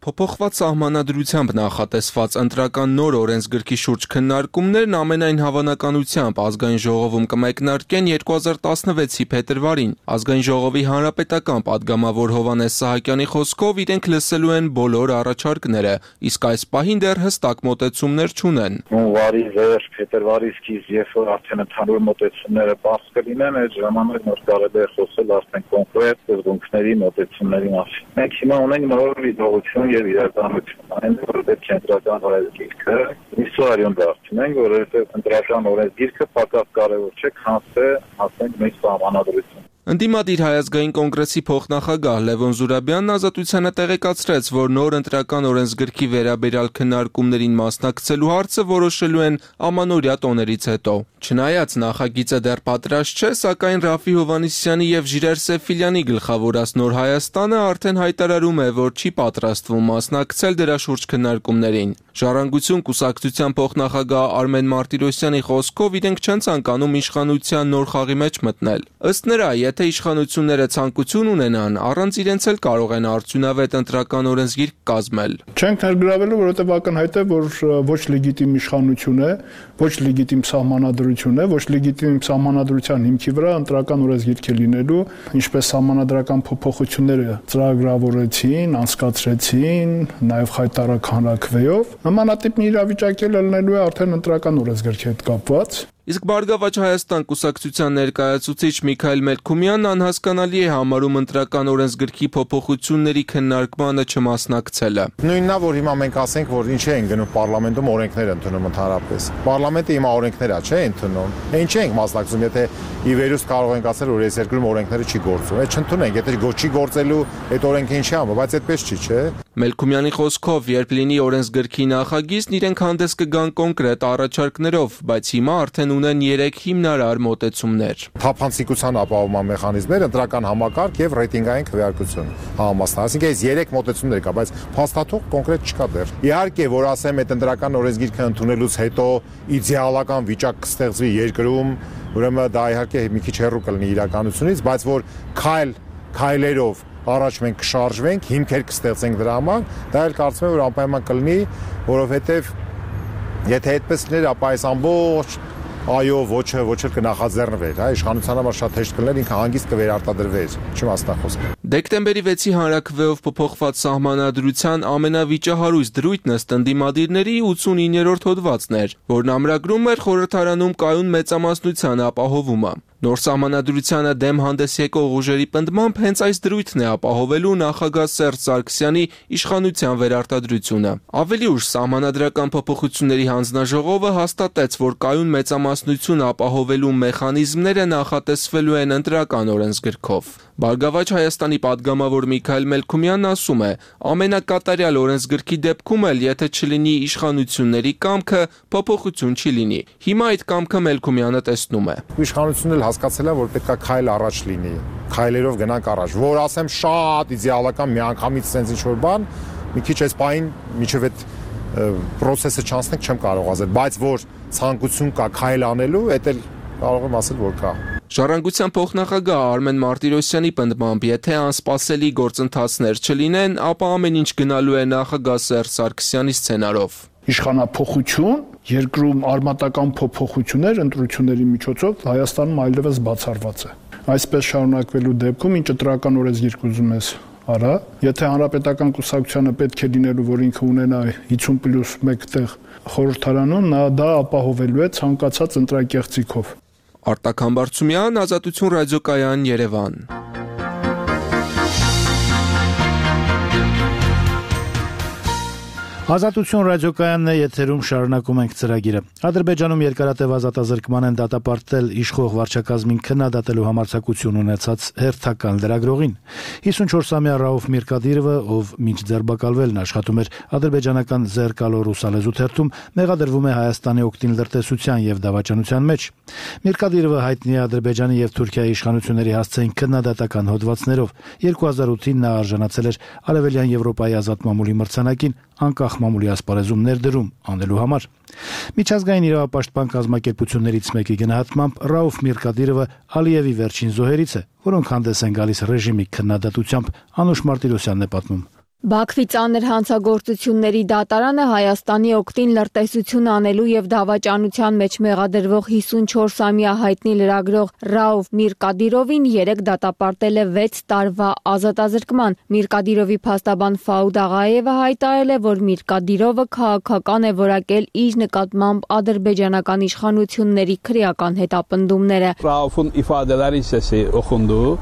Փոփոխված սահմանադրությամբ նախատեսված ընտրական նոր օրենսգրքի շուրջ քննարկումներն ամենայն հավանականությամբ ազգային ժողովում կմեկնարկեն երկու հազար տասնվեցի փետրվարին։ Ազգային ժողովի հանրապետական падգամավոր Հովհաննես Սահակյանի խոսքով իրենք լսելու են բոլոր առաջարկները, իսկ այս պահին դեռ հստակ մոտեցումներ չունեն։ Հունվարի վերջ, փետրվարի սկիզբ, երբ որ արդեն ընդհանուր մոտեցումները բաց կլինեն, այդ ժամանակ նոր կարելի է խոսել արդեն կոնկրետ սկզբունքների մոտեցումների մասին։ Մենք հիմա ունենք նոր իրողություն եւ իրականություն, այն որ պետք է ընտրական օրենսգիրքը իսորիոն դարձնենք, որովհետեւ ընտրական օրենսգիրքը պակաս կարեւոր չէ, քան թե ասենք մեծ սահմանադրություն։ Ընդդիմադիր Հայազգային կոնգրեսի փոխնախագահ Լևոն Զուրաբյանն Ազատությանը տեղեկացրեց, որ նոր ընտրական օրենսգրքի վերաբերյալ քննարկումներին մասնակցելու հարցը որոշելու են ամանորյա տոներից հետո։ Չնայած նախագիծը դեռ պատրաստ չէ, սակայն Ռաֆի Հովհաննիսյանի եւ Ժիրայր Սեֆիլյանի գլխավորած Նոր Հայաստանը արդեն հայտարարում է, որ չի պատրաստվում մասնակցել դրա շուրջ քննարկումներին։ Ժառանգություն կուսակցության փոխնախագահ Արմեն Մարտիրոսյանի խոսքով իրենք չեն ցանկանում իշխանության նոր խաղի մեջ մտնել։ Ըստ նրա, եթե իշխանությունները ցանկություն ունենան, առանց իրենց էլ կարող են արդյունավետ ընտրական օրենսգիրք կազմել։ Չենք ներգրավելու, որովհետև ակնհայտ է, որ ոչ լեգիտիմ իշխանություն է, ոչ լեգիտիմ սահմանադրություն է, ոչ լեգիտիմ սահմանադրության հիմքի վրա ընտրական օրենսգիրք է լինելու, ինչպես սահմանադրական փոփոխությունները ծրագրավորեցին, անցկացրեցին, նաև խայտարակ հանրաքվեով, նմանատիպ մի իրավիճակ էլ լինելու է արդեն ընտրական օրենսգրքի հետ կապված։ Իսկ Բարգավաճ Հայաստան կուսակցության ներկայացուցիչ Միքայել Մելքումյանն անհասկանալի է համարում ընտրական օրենսգրքի փոփոխությունների քննարկմանը չմասնակցելը։ Նույնն է, որ հիմա մենք ասենք, որ ինչ ենք գնում պարլամենտում օրենքներ ընդունում ընդհանրապես։ Պարլամենտը հիմա օրենքներ է, չէ՞ ընդունում։ Ինչ ենք մասնակցում, եթե ի վերուս կարող ենք ասել, որ այս երկրում օրենքները չի գործում։ Այդ չընդունենք, եթե չի գործելու, այդ օրենքը ինչի՞ է, բայց այդպես չի, չէ՞։ Մելքումյանի խոսքով, երբ լինի օրենսգրքի նախագիծն, իրենք հանդես կգան կոնկրետ առաջարկներով, բայց հիմա արդեն ունեն երեք հիմնարար մոտեցումներ։ Թափանցիկության ապահովման մեխանիզմներ, ընտրական համակարգ եւ ռեյտինգային քվեարկություն համապատասխան։ Այսինքն այս երեք մոտեցումներ կա, բայց փաստաթուղթ կոնկրետ չկա դեռ։ Իհարկե, որ ասեմ, այդ ընտրական օրենսգիրքը ընդունելուց հետո իդեալական վիճակ կստեղծվի երկրում, ուրեմն դա իհարկե մի քիչ հեռու կլինի իրականությունից, բայց որ քայլ քայլերով առաջ մենք կշարժվենք, հիմքեր կստեղծենք դրա համար, դա էլ կարծում եմ, որ անպայման կլինի, որովհետև եթե այդպես լիներ, ապա այս ամբողջ այո, ոչը, ոչը կնախաձեռնվեր, հա, իշխանության համար շատ հեշտ կլիներ, ինքը հանգիստ կվերարտադրվեր, չմասնախոսք։ Դեկտեմբերի վեցի հանրաքվեով փոփոխված սահմանադրության ամենավիճահարույց դրույթն ըստ ընդդիմադիրների ութսունիններորդ հոդվածն էր, որն ամրագրում էր խորհրդարանում կայուն մեծամասնության ապահովումը։ Նոր սահմանադրությանը դեմ հանդես եկող ուժերի պնդմամբ հենց այս դրույթն է ապահովելու նախագահ Սերժ Սարգսյանի իշխանության վերարտադրությունը։ Ավելի ուշ սահմանադրական փոփոխությունների հանձնաժողովը հաստատեց, որ կայուն մեծամասնություն ապահովելու մեխանիզմները նախատեսվելու են ընտրական օրենսգրքով։ Բարգավաճ Հայաստանի падգամավոր Միքայել Մելքումյանն ասում է, ամենակատարյալ օրենսգրքի դեպքում էլ, եթե չլինի իշխանությունների կամքը, փոփոխություն չի լինի։ Հիմա այդ կամքը Մելքումյանը տեսնում է։ Իշխանությունն էլ հասկացել է, որ պետք է քայլ առաջ լինի, քայլերով գնանք առաջ, որ ասեմ շատ իդեալական միանգամից sense ինչ-որ բան, մի քիչ այս պահին միջև այդ process-ը չանցնենք չեմ կարող ասել, բայց որ ցանկություն կա քայլ անելու, դա էլ կարող եմ ասել, որ կա։ Ժառանգության փոխնախագահ Արմեն Մարտիրոսյանի պնդմամբ, եթե անսպասելի գործընթացներ չլինեն, ապա ամեն ինչ գնալու է նախագահ Սերժ Սարգսյանի սցենարով։ Իշխանափոխություն, երկրում արմատական փոփոխություններ ընտրությունների միջոցով Հայաստանում այլևս բացառված է։ Այսպես շարունակվելու դեպքում ինչ ընտրական օրենսգիրք ուզում ես արա, եթե հանրապետական կուսակցությանը պետք է լինելու, որ ինքը ունենա հիսուն պլյուս մեկ տեղ խորհրդարանում, նա դա ապահովելու է ցանկացած ընտրակեղծիքով։ Արտակ Համբարձումյան, Ազատություն ռադիոկայան, Երևան։ Ազատություն ռադիոկայանն է, եթերում շարունակում ենք ծրագիրը։ Ադրբեջանում երկարատև ազատազրկման են դատապարտել իշխող վարչակազմին քննադատելու համարձակություն ունեցած հերթական լրագրողին։ հիսունչորսամյա Ռաուֆ Միրկադիրովը, ով մինչ ձերբակալվելն աշխատում էր ադրբեջանական Զերկալո ռուսալեզու թերթում, մեղադրվում է Հայաստանի օգտին լրտեսության եւ դավաճանության մեջ։ Միրկադիրովը հայտնի է Ադրբեջանի եւ Թուրքիայի իշխանությունների հասցեին քննադատական հոդվածներով։ երկու հազար ութին նա արժանացել էր Արևելյան Եվրոպայի ազատ մամուլի մրցանակին անկախ մամուլի ասպարեզում ներդրում անելու համար։ Միջազգային իրավապաշտպան կազմակերպություններից մեկի գնահատմամբ Ռաուֆ Միրկադիրովը Ալիևի վերջին զոհերից է, որոնք հանդես են գալիս ռեժիմի քննադատությամբ, Անուշ Մարտիրոսյանն է պատմում։ Բաքվի ծանր հանցագործությունների դատարանը Հայաստանի օգտին լրտեսություն անելու եւ դավաճանության մեջ մեղադրվող հիսունչորսամյա հայտնի լրագրող Ռաուֆ Միրկադիրովին երեք դատապարտել է վեց տարվա ազատազրկման։ Միրկադիրովի փաստաբան Ֆաուդ Աղաևը հայտարարել է, որ Միրկադիրովը քաղաքական է որակել իր նկատմամբ ադրբեջանական իշխանությունների քրեական հետապնդումները։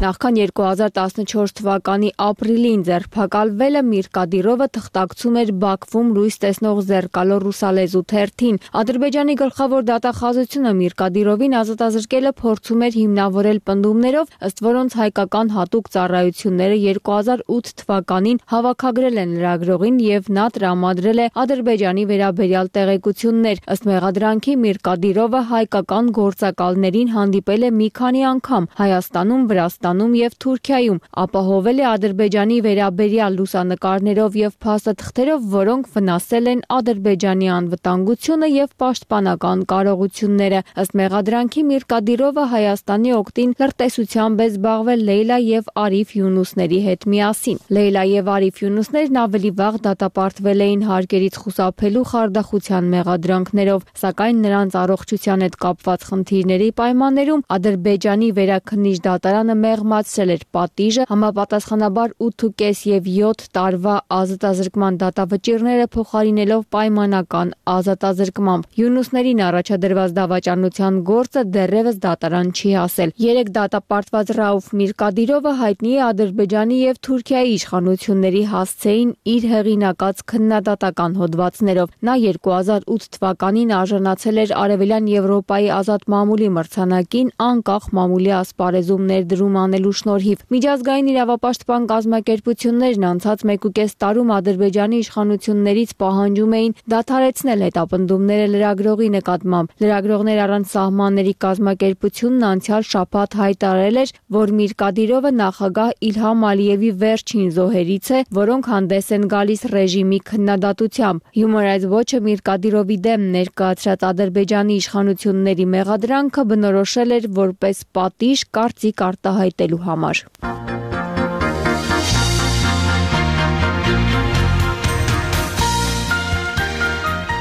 Նախքան երկու հազար տասնչորս թվականի ապրիլին ձերբակալվել է Միրկադիրովը թղթակցում էր Բաքվում լույս տեսնող Զերկալո ռուսալեզու թերթին։ Ադրբեջանի գլխավոր դատախազությունը Միրկադիրովին ազատազրկելը փորձում էր հիմնավորել պնդումներով, ըստ որոնց հայկական հատուկ ծառայությունները երկու հազար ութ թվականին հավաքագրել են լրագրողին եւ նա տրամադրել է Ադրբեջանի վերաբերյալ տեղեկություններ։ Ըստ մեղադրանքի Միրկադիրովը հայկական գործակալներին հանդիպել է մի քանի անգամ Հայաստանում, Վրաստանում եւ Թուրքիայում, ապահովել է Ադրբեջանի վերաբերյալ լուսանկարներով եւ փաստաթղթերով, որոնք վնասել են Ադրբեջանի անվտանգությունը եւ պաշտպանական կարողությունները։ Ըստ մեղադրանքի Միրկադիրովը Հայաստանի օգտին լրտեսությամբ է զբաղվել Լեյլա եւ Արիֆ Յունուսների հետ միասին։ Լեյլա եւ Արիֆ Յունուսներն ավելի վաղ դատապարտվել էին հարկերից խուսափելու խարդախության մեղադրանքներով, սակայն նրանց առողջության հետ կապված խնդիրների պայմաններում Ադրբեջանի վերաքննիչ դատարանը մեղմացրել էր պատիժը, համապատասխանաբար ութ եւ յոթ տարվա ազատազրկման դատավճիռները փոխարինելով պայմանական ազատազրկմամբ։ Յունուսներին առաջադրված դավաճանության գործը դեռևս դատարան չի հասել։ Երեք դատապարտված Ռաուֆ Միրկադիրովը հայտնի է Ադրբեջանի եւ Թուրքիայի իշխանությունների հասցեին իր հեղինակած քննադատական հոդվածներով։ Նա երկու հազար ութ թվականին արժանացել էր Արևելյան Եվրոպայի ազատ մամուլի մրցանակին անկախ մամուլի ասպարեզում ներդրում անելու շնորհիվ։ Միջազգային իրավապաշտպան կազմակերպություններն անցած մեկուկես տարում Ադրբեջանի իշխանություններից պահանջում էին դադարեցնել հետապնդումները լրագրողի նկատմամբ։ Լրագրողներ առանց սահմանների կազմակերպությունն անցյալ շաբաթ հայտարարել էր, որ Միրկադիրովը նախագահ Իլհամ Ալիևի վերջին զոհերից է, որոնք հանդես են գալիս ռեժիմի քննադատությամբ։ Human Rights Watch-ը Միրկադիրովի դեմ ներկայացրած Ադրբեջանի իշխանությունների մեղադրանքը բնորոշել էր որպես պատիժ կարծիք արտահայտելու համար։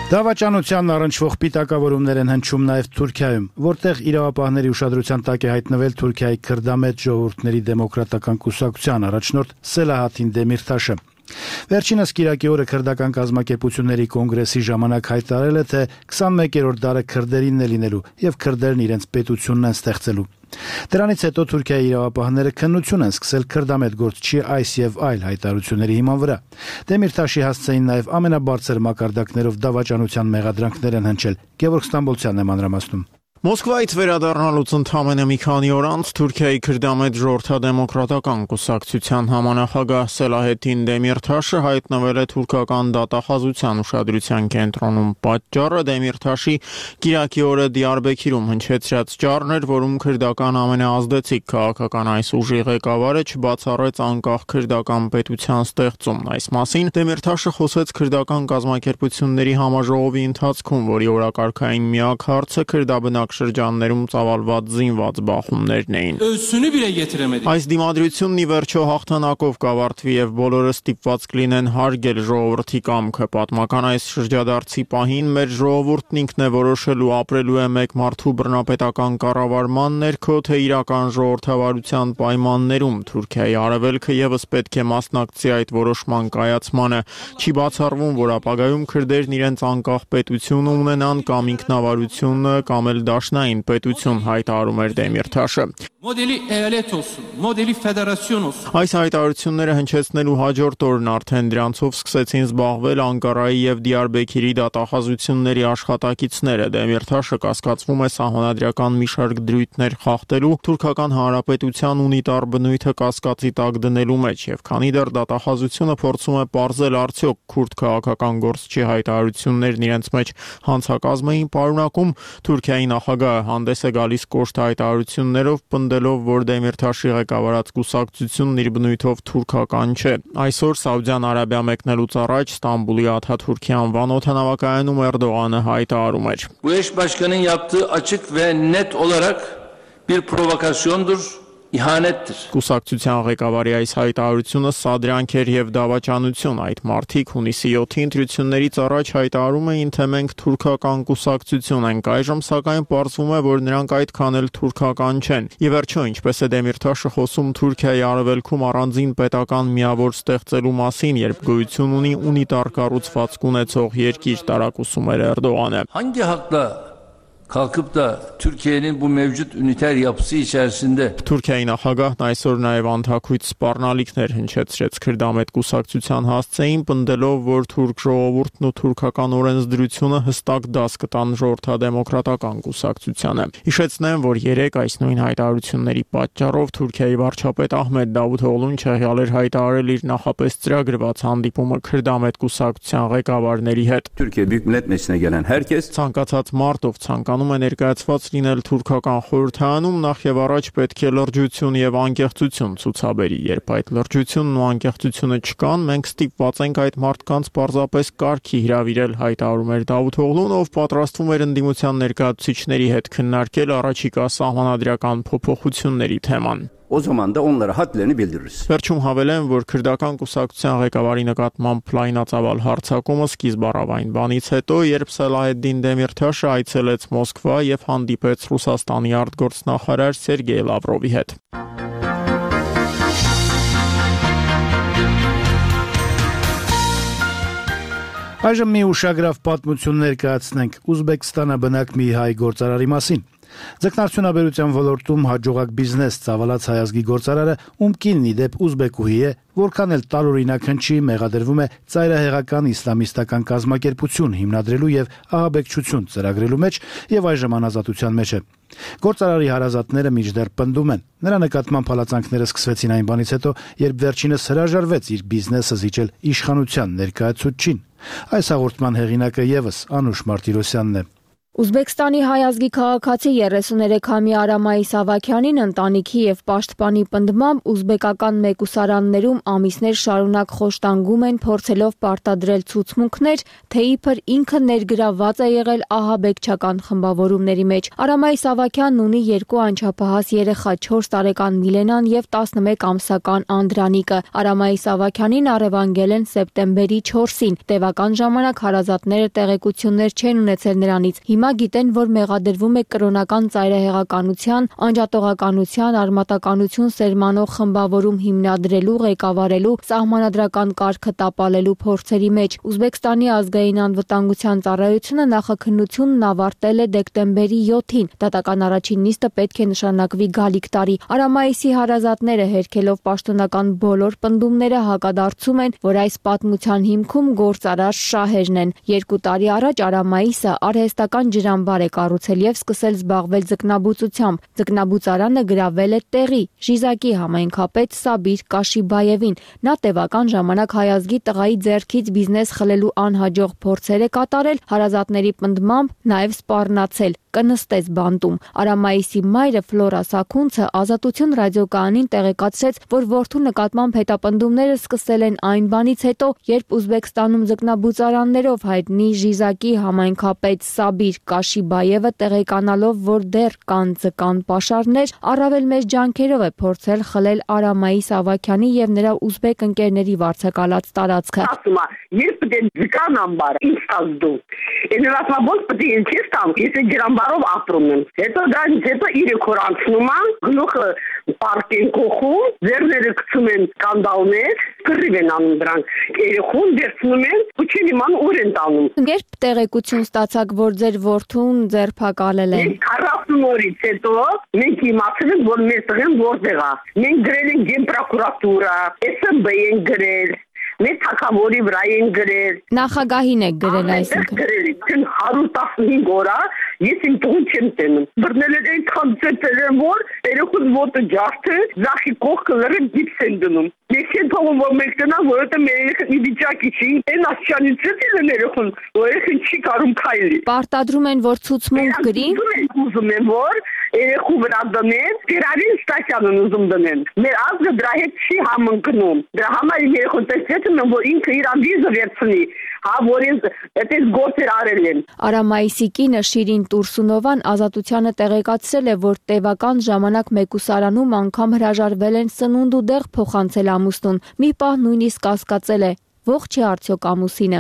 Դավաճանության առնչվող պիտակավորումներ են հնչում նաև Թուրքիայում, որտեղ իրավապահների ուշադրության տակ է հայտնվել Թուրքիայի քրդամետ ժողովուրդների դեմոկրատական կուսակցության առաջնորդ Սելահաթին Դեմիրտաշը։ Վերջինս Կիրակի օրը քրդական կազմակերպությունների կոնգրեսի ժամանակ հայտարարել է, թե քսանմեկերորդ դարը քրդերինն է լինելու եւ քրդերն իրենց պետությունն են ստեղծելու։ Դրանից հետո Թուրքիայի իրավապահները քննություն են սկսել քրդամետ գործչի այս եւ այլ հայտարարությունների հիման վրա։ Դեմիրտաշի հասցեին նաեւ ամենաբարձր մակարդակներով դավաճանության մեղադրանքներ են հնչել։ Գևորգ Ստամբոլցյանն է մանրամասնում։ Մոսկվայից վերադառնալուց ընդամենը մի քանի օր անց Թուրքիայի քրդամետ ժողովրդադեմոկրատական կուսակցության համանախագահ Սելահեթին Դեմիրտաշը հայտնվել է թուրքական դատախազության ուշադրության կենտրոնում։ Պատճառը Դեմիրտաշի Կիրակի օրը Դիարբեքիրում հնչեցրած ճառն էր, որում քրդական ամենաազդեցիկ քաղաքական այս ուժի ղեկավարը չբացառեց անկախ քրդական պետության ստեղծումն։ Այս մասին Դեմիրտաշը խոսեց քրդական կազմակերպությունների համաժողովի ընթացքում, որի օրակարգային միակ հարցը քրդաբնակ շրջաններում ծավալված զինված բախումներն էին։ Այս դիմադրությունն ի վերջո հաղթանակով կավարտվի եւ բոլորը ստիպված կլինեն հարգել ժողովրդի կամքը։ Պատմական այս շրջադարձի պահին մեր ժողովուրդն ինքն է որոշելու ապրելու է մեկ մարդու բռնապետական կառավարման ներքո, թե իրական ժողովրդավարության պայմաններում։ Թուրքիայի արևելքը եւս պետք է մասնակցի այդ որոշման կայացմանը։ Չի բացառվում, որ ապագայում քրդերն իրենց անկախ պետություն ունենան կամ ինքնավարությունը կամ էլ դաշնային պետություն, հայտարարում էր Դեմիրթաշը։ Մոդելի էալետ olsun, մոդելի ֆեդերացիոն olsun։ Այս հայտարարությունները հնչեցնելու հաջորդ օրն արդեն դրանցով սկսեցին զբաղվել Անկարայի եւ Դիարբեքիրի դատախազությունների աշխատակիցները։ Դեմիրթաշը կասկածվում է սահմանադրական մի շարք դրույթներ խախտելու, թուրքական հանրապետության ունիտար բնույթը կասկածի տակ դնելու մեջ, եւ քանի դեռ դատախազությունը փորձում է պարզել արդյոք քուրդ քաղաքական գործչի հայտարարություններն իրենց մեջ հանցակազմ էին պարունակում, Թուրքիայի նախագահը հանդես է գալիս կոշտ հայտարարություններով, պնդելով, որ Դեմիրթաշի ղեկավարած կուսակցությունն իր բնույթով թուրքական չէ։ Այսօր Սաուդյան Արաբիա մեկնելուց առաջ Ստամբուլի Աթաթուրքի անվան օդանավակայանում Էրդողանը հայտարարում էր. Bu eş başkanın yaptığı açık ve net olarak bir provokasyondur. Իհանետր։ Կուսակցության ղեկավարի այս հայտարարությունը սադրյանք էր եւ դավաճանություն։ Այդ մարդիկ հունիսի յոթի ընտրություններից առաջ հայտարարում էին, թե մենք թուրքական կուսակցություն ենք։ Այժմ սակայն պարզվում է, որ նրանք այդքան էլ թուրքական չեն։ Եվ վերջո, ինչպես է Դեմիրթաշը խոսում Թուրքիայի արևելքում առանձին պետական միավոր ստեղծելու մասին, երբ գոյություն ունի ունիտար կառուցվածք ունեցող երկիր, տարակուսում էր Էրդողանը։ Hangi hakla kalkıp da Türkiye'nin bu mevcut üniter yapısı içerisinde Թուրքիայի նախագահն այսօր նաև անթակույց սպառնալիքներ հնչեցրեց քրդամետ կուսակցության հասցեին, պնդելով, որ թուրք ժողովուրդն ու թուրքական օրենսդրությունը հստակ դաս կտան ժողովրդադեմոկրատական կուսակցությանը։ Հիշեցնեմ, որ երեք այս նույն հայտարարությունների պատճառով Թուրքիայի վարչապետ Ահմեդ Դավութօղլուն չեղյալ էր հայտարարել իր նախապես ծրագրված հանդիպումը քրդամետ կուսակցության ղեկավարների հետ։ Türkiye Büyük Millet Meclisi'ne gelen herkes ցանկացած մարտով ցանկանում է ներկայացված լինել թուրքական խորհրդարանում, նախ եւ առաջ պետք է լրջություն եւ անկեղծություն ցուցաբերի։ Երբ այդ լրջությունն ու անկեղծությունը չկան, մենք ստիպված ենք այդ մարդկանց պարզապես կարգի հրավիրել, հայտարարում էր Դավութօղլուն, ով պատրաստվում էր ընդդիմության ներկայացուցիչների հետ քննարկել առաջիկա սահմանադրական փոփոխությունների թեման։ O zaman da onlara hadlerini bildiririz. Վերջում հավելեմ, որ քրդական կուսակցության ղեկավարի նկատմամբ լայնածավալ հարձակումը սկիզբ առավ այն բանից հետո, երբ Սելահեդդին Դեմիրթաշը այցելեց Մոսկվա եւ հանդիպեց Ռուսաստանի արտգործնախարար Սերգեյ Լավրովի հետ։ Այժմ մի ուշագրավ պատմություն ներկայացնենք Ուզբեկստանը բնակ մի հայ գործարարի մասին։ Ձկնարդյունաբերության ոլորտում հաջողակ բիզնես ծավալած հայազգի գործարարը, ում կինն ի դեպ ուզբեկուհի է, որքան էլ տարօրինակ հնչի, մեղադրվում է ծայրահեղական իսլամիստական կազմակերպություն հիմնադրելու եւ ահաբեկչություն ծրագրելու մեջ եւ այժմ անազատության մեջ է։ Գործարարի հարազատները մինչդեռ պնդում են։ Նրա նկատմամբ հալածանքները սկսվեցին այն բանից հետո, երբ վերջինս հրաժարվեց իր բիզնեսը զիջել իշխանության ներկայացուցչին։ Այս հաղորդման հեղինակը եւս Անուշ Մարտիրոսյանն է։ Ուզբեկստանի հայազգի քաղաքացի երեսուներեքամյա Արամայի Սավաքյանին ընտանիքի եւ պաշտպանի պնդմամբ ուզբեկական մեկուսարաններում ամիսներ շարունակ խոշտանգում են, փորձելով պարտադրել ցուցմունքներ, թե իբր ինքը ներգրավված է եղել ահաբեկչական խմբավորումների մեջ։ Արամայի Սավաքյանն ունի երկու անչափահաս երեխա՝ չորս տարեկան Միլենան եւ տասնմեկ ամսական Անդրանիկը։ Արամայի Սավաքյանին առևանգել են սեպտեմբերի չորսին։ Տևական ժամանակ հարազատները տեղեկություններ չեն ունեցել նրանից։ Հիմա գիտեն, որ մեղադրվում է կրոնական ծայրահեղականության, անջատողականության, արմատականություն սերմանող խմբավորում հիմնադրելու, ղեկավարելու, սահմանադրական կարգը տապալելու փորձերի մեջ։ Ուզբեկստանի ազգային անվտանգության ծառայությունը նախաքննությունն ավարտել է դեկտեմբերի յոթին։ Դատական առաջին նիստը պետք է նշանակվի գալիք տարի։ Արամայիսի հարազատները հերքելով պաշտոնական բոլոր պնդումները հակադարձում են, որ այս պատմության հիմքում գործարար շահերն են։ Երկու տարի առաջ Արամայիսը արհեստական ջրամբար է կառուցել եւ սկսել զբաղվել ձկնաբուծությամբ։ Ձկնաբուծարանը գրավել է տեղի Ժիզակի համայնքապետ Սաբիր Կաշիբաևին։ Նա տևական ժամանակ հայազգի տղայի ձեռքից բիզնես խլելու անհաջող փորձեր է կատարել, հարազատների պնդմամբ նաեւ սպառնացել, կնստեց բանտում։ Արամայիսի մայրը Ֆլորա Սաքունցը Ազատություն ռադիոկայանին տեղեկացրեց, որ որդու նկատմամբ հետապնդումները սկսել են այն բանից հետո, երբ Ուզբեկստանում ձկնաբուծարաններով հայտնի Ժիզակի համայնքապետ Սաբիր Կաշիբաևը տեղեկանալով, որ դեռ կան ձկան պաշարներ, առավել մեծ ջանքերով է փորձել խլել Արամայի Սավաքյանի եւ նրա ուզբեկ ընկերների վարձակալած տարածքը։ Ասում է, երբ դե ձկան ամբար ինձ ազդու։ Ինձ ասում է, որ պետք է ինձ տամ, եթե ջրամբար տարով ապրում եմ։ Հետո դրանից հետո երեք օր անցնում է, գլուխը պարկեն կողում, ձեռները գցում են սկանդալներ, կռիվ են անում դրանք։ Երեխուն վերցնում են, ու չեն իմանում ուր են տանում։ Երբ տեղեկություն ստացաք, որ ձեր որդուն ձերբակալել են։ քառասուն օրից հետո մենք իմացել ենք, որ մեր տղեն որտեղ է։ Մենք գրել ենք գենպրոկուրատուրա, էս էմ բի են գրել, մեր թագավորի վրա են գրել։ Նախագահին եք գրել այսինքն։ Գրել են հարյուր տասնհինգ օր է, ես իմ տղուն չեմ տենում։ Բռնել են այնքան ծեծել են, որ երեխուն ոտը ջարդը, ձախի կողքը լրը գիպս են դնում։ Ես չեմ թողում, որ մենք տնան, որովհետև մեր երեխան մի վիճակի չի, այն աստիճանի ծեծել են երեխուն, որ երեխան չի կարում քայլի։ Պարտադրում են, որ ցուցմունք գրի։ Ուզում են, որ երեխու վրա դնեն, դերարին ստացիան են ուզում դնեն։ Մեր ազգը դրա հետ չի համընկնում։ Դրա համար իմ երեխուն տեսնում եմ, որ ինքը իր ամբիզը վերցնի, հա, որ ինձ այդպես գործեր արել են։ Արամ Մայիսի կինը Շիրին Տուրսունովան Ազատությանը տեղեկացրել է, որ տևական ժամանակ մեկուսարանում անգամ հրաժարվել են սնունդ ու դեղ փոխանցել ամուսնուն։ Մի պահ նույնիսկ կասկածել է. ողջ է արդյոք ամուսինը։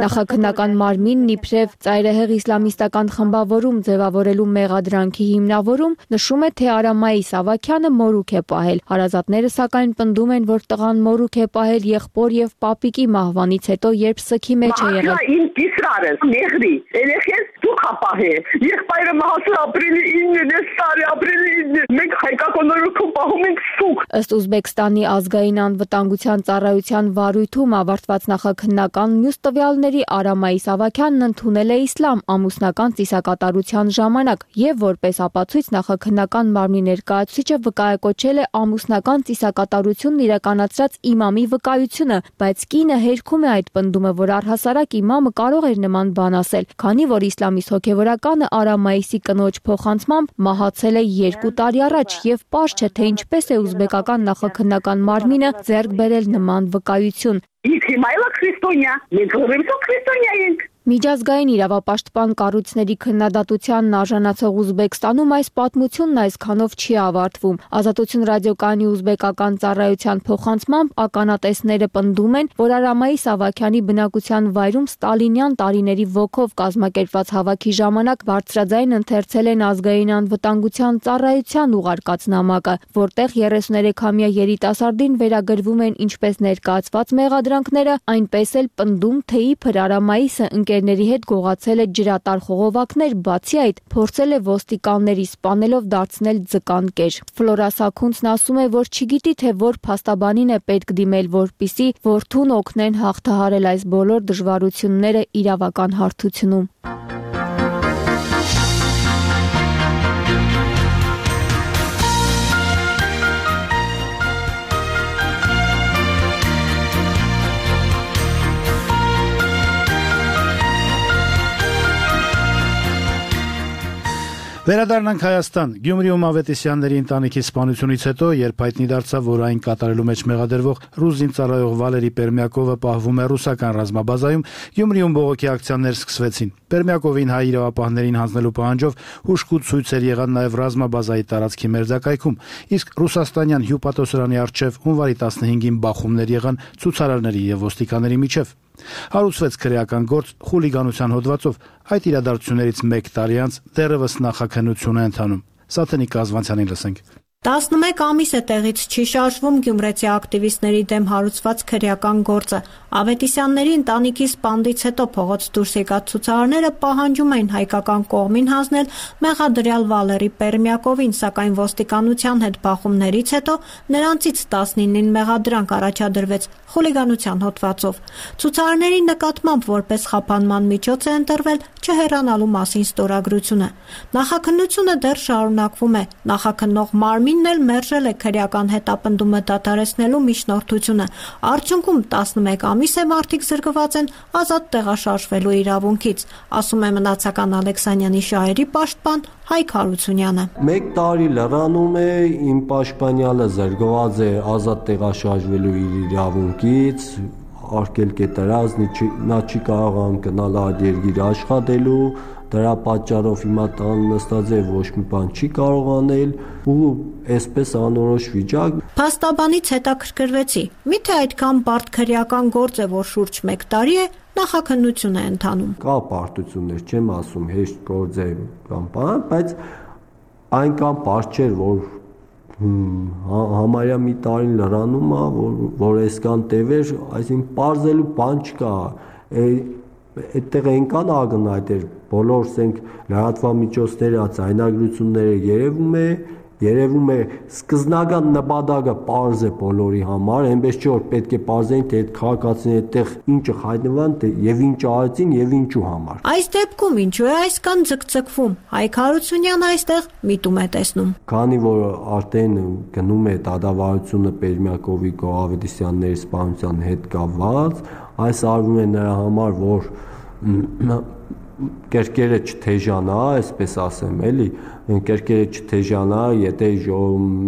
Նախաքննական մարմինն իբրև ծայրահեղ իսլամիստական խմբավորում ձևավորելու մեղադրանքի հիմնավորում նշում է, թե Արամայիս Ավագյանը մորուք է պահել։ Հարազատները սակայն պնդում են, որ տղան մորուք է պահել եղբոր եւ պապիկի մահվանից հետո, երբ սքի մեջ է եղել։ Իմ կիսրարը, մեղրի, երեխես դուք ապահե։ Եղբայրը մահացել ապրիլի ինը, տարի ապրիլի ինը։ Մենք հայկական օրոքով պահում ենք սուկ։ Ըստ Ուզբեկստանի ազգային անվտանգության ծառայության վարույթում ավարտված նախաքննական մյուս տվյալների Արամայիս Ավագյանն ընդունել է իսլամ ամուսնական ծիսակատարության ժամանակ եւ որպես ապացույց նախաքննական մարմնի ներկայացուցիչը վկայակոչել է ամուսնական ծիսակատարությունն իրականացրած իմամի վկայությունը, բայց կինը հերքում է այդ պնդումը, որ առհասարակ իմամը կարող էր նման բան ասել, քանի որ իսլամիստ հոգևորականը Արամայիսի կնոջ փոխանցմամբ մահացել է երկու տարի առաջ եւ պարզ չէ, թե ինչպես է ուզբեկական նախաքննական մարմինը ձեռք բերել նման վկայություն։ Ինքը հիմա էլ քրիստոնյա, մենք ուրեմն քրիստոնյա ենք։ Միջազգային իրավապաշտպան կառույցների քննադատությանն արժանացող Ուզբեկստանում այս պատմությունն այսքանով չի ավարտվում։ Ազատություն ռադիոկայանի ուզբեկական ծառայության փոխանցմամբ ականատեսները պնդում են, որ Արամայիս Ավագյանի բնակության վայրում ստալինյան տարիների ոգով կազմակերպված հավաքի ժամանակ բարձրաձայն ընթերցել են ազգային անվտանգության ծառայության ուղարկած նամակը, որտեղ երեսուներեքամյա երիտասարդին վերագրվում են ինչպես ներկայացված մեղադրանքները, այնպես էլ պնդում, թե իբր Արամայիսը ընկերների հետ գողացել է ջրատար խողովակներ, բացի այդ փորձել է ոստիկանների սպանելով դարձնել ձկան կեր։ Ֆլորա Սաքունցն ասում է, որ չգիտի, թե որ փաստաբանին է պետք դիմել, որպիսի որդուն օգնեն հաղթահարել այս բոլոր դժվարությունները իրավական հարթությունում։ Վերադառնանք Հայաստան։ Գյումրիում Ավետիսյանների ընտանիքի սպանությունից հետո, երբ հայտնի դարձավ, որ այն կատարելու մեջ մեղադրվող ռուզին ծառայող Վալերի Պերմյակովը պահվում է ռուսական ռազմաբազայում, Գյումրիում բողոքի ակցիաներ սկսվեցին։ Պերմյակովին հայ իրավապահներին հանձնելու պահանջով հուշկու ցույցեր եղան նաև ռազմաբազայի տարածքի մերձակայքում, իսկ ռուսաստանյան հյուպատոսարանի առջև հունվարի տասնհինգին բախումներ եղան ցուցարարների եւ ոստիկանների միջև։ Հարուցվեց քրեական գործ խուլիգանության հոդվածով, այդ իրադարձություններից մեկ տարի անց դեռևս նախաքննություն է ընթանում։ Սաթենիկ Կազվանցյանին լսենք։ տասնմեկ ամիս է տեղից չի շարժվում գյումրեցի ակտիվիստների դեմ հարուցված քրեական գործը։ Ավետիսյանների ընտանիքի սպանդից հետո փողոց դուրս եկած ցուցարարները պահանջում էին հայկական կողմին հանձնել մեղադրյալ Վալերի Պերմյակովին, սակայն ոստիկանության հետ բախումներից հետո նրանցից տասնինին մեղադրանք առաջադրվեց խուլիգանության հոդվածով։ Ցուցարարների նկատմամբ որպես խափանման միջոց է ընտրվել չհեռանալու մասին ստորագրությունը։ Նախաքննությունը դեռ շարունակվում է։ Նախաքննող մարմինն էլ մերժել է քրեական հետապնդումը դադարեցնելու միջնորդությունը։ Արդյունքում տասնմեկ ամիս է մարդիկ զրկված են ազատ տեղաշարժվելու իրավունքից, ասում է մնացական Ալեքսանյանի շահերի պաշտպան Հայկ Հարությունյանը։ Մեկ տարի լրանում է, իմ պաշտպանյալը զրկված է ազատ տեղաշարժվելու իր իրավունքից, արկելք է տրած, նա չի կարող գնալ այդ երկիր աշխատելու, դրա պատճառով հիմա տան նստած է, ոչ մի բան չի կարող անել ու այսպես անորոշ վիճակ։ Փաստաբանից հետաքրքրվեցի, միթե այդքան բարդ քրեական գործ է, որ շուրջ մեկ տարի է նախաքննություն է ընթանում։ Կա պարտություններ, չեմ ասում հեշտ գործ է կամ բան, բայց այն կամ պարտ չէր, որ համարյա մի տարին լրանում է, որ որ այսքան տևեր, այսինքն պարզելու բան չկա։ Այդտեղ այնքան ակնհայտ էր, բոլոր ասենք լրատվամիջոցները, ձայնագրությունները երևում է, երևում է սկզնական նպատակը պարզ է բոլորի համար, այնպես չէ որ պետք է պարզեն, թե այդ քաղաքացիները այդտեղ ինչը հայտնվան, եւ ինչ արեցին եւ ինչու համար։ Այս դեպքում ինչու է այսքան ձգձգվում։ Հայկ Հարությունյանը այստեղ միտում է տեսնում։ Քանի որ արդեն գնում է դատավարությունը Պերմյակովի Գողավետիսյանների սպանության հետ կապված, այս արվում է նրա համար, որ կերկերը չթեժանա, այսպես ասեմ, էլի, կերկերը չթեժանա, եթե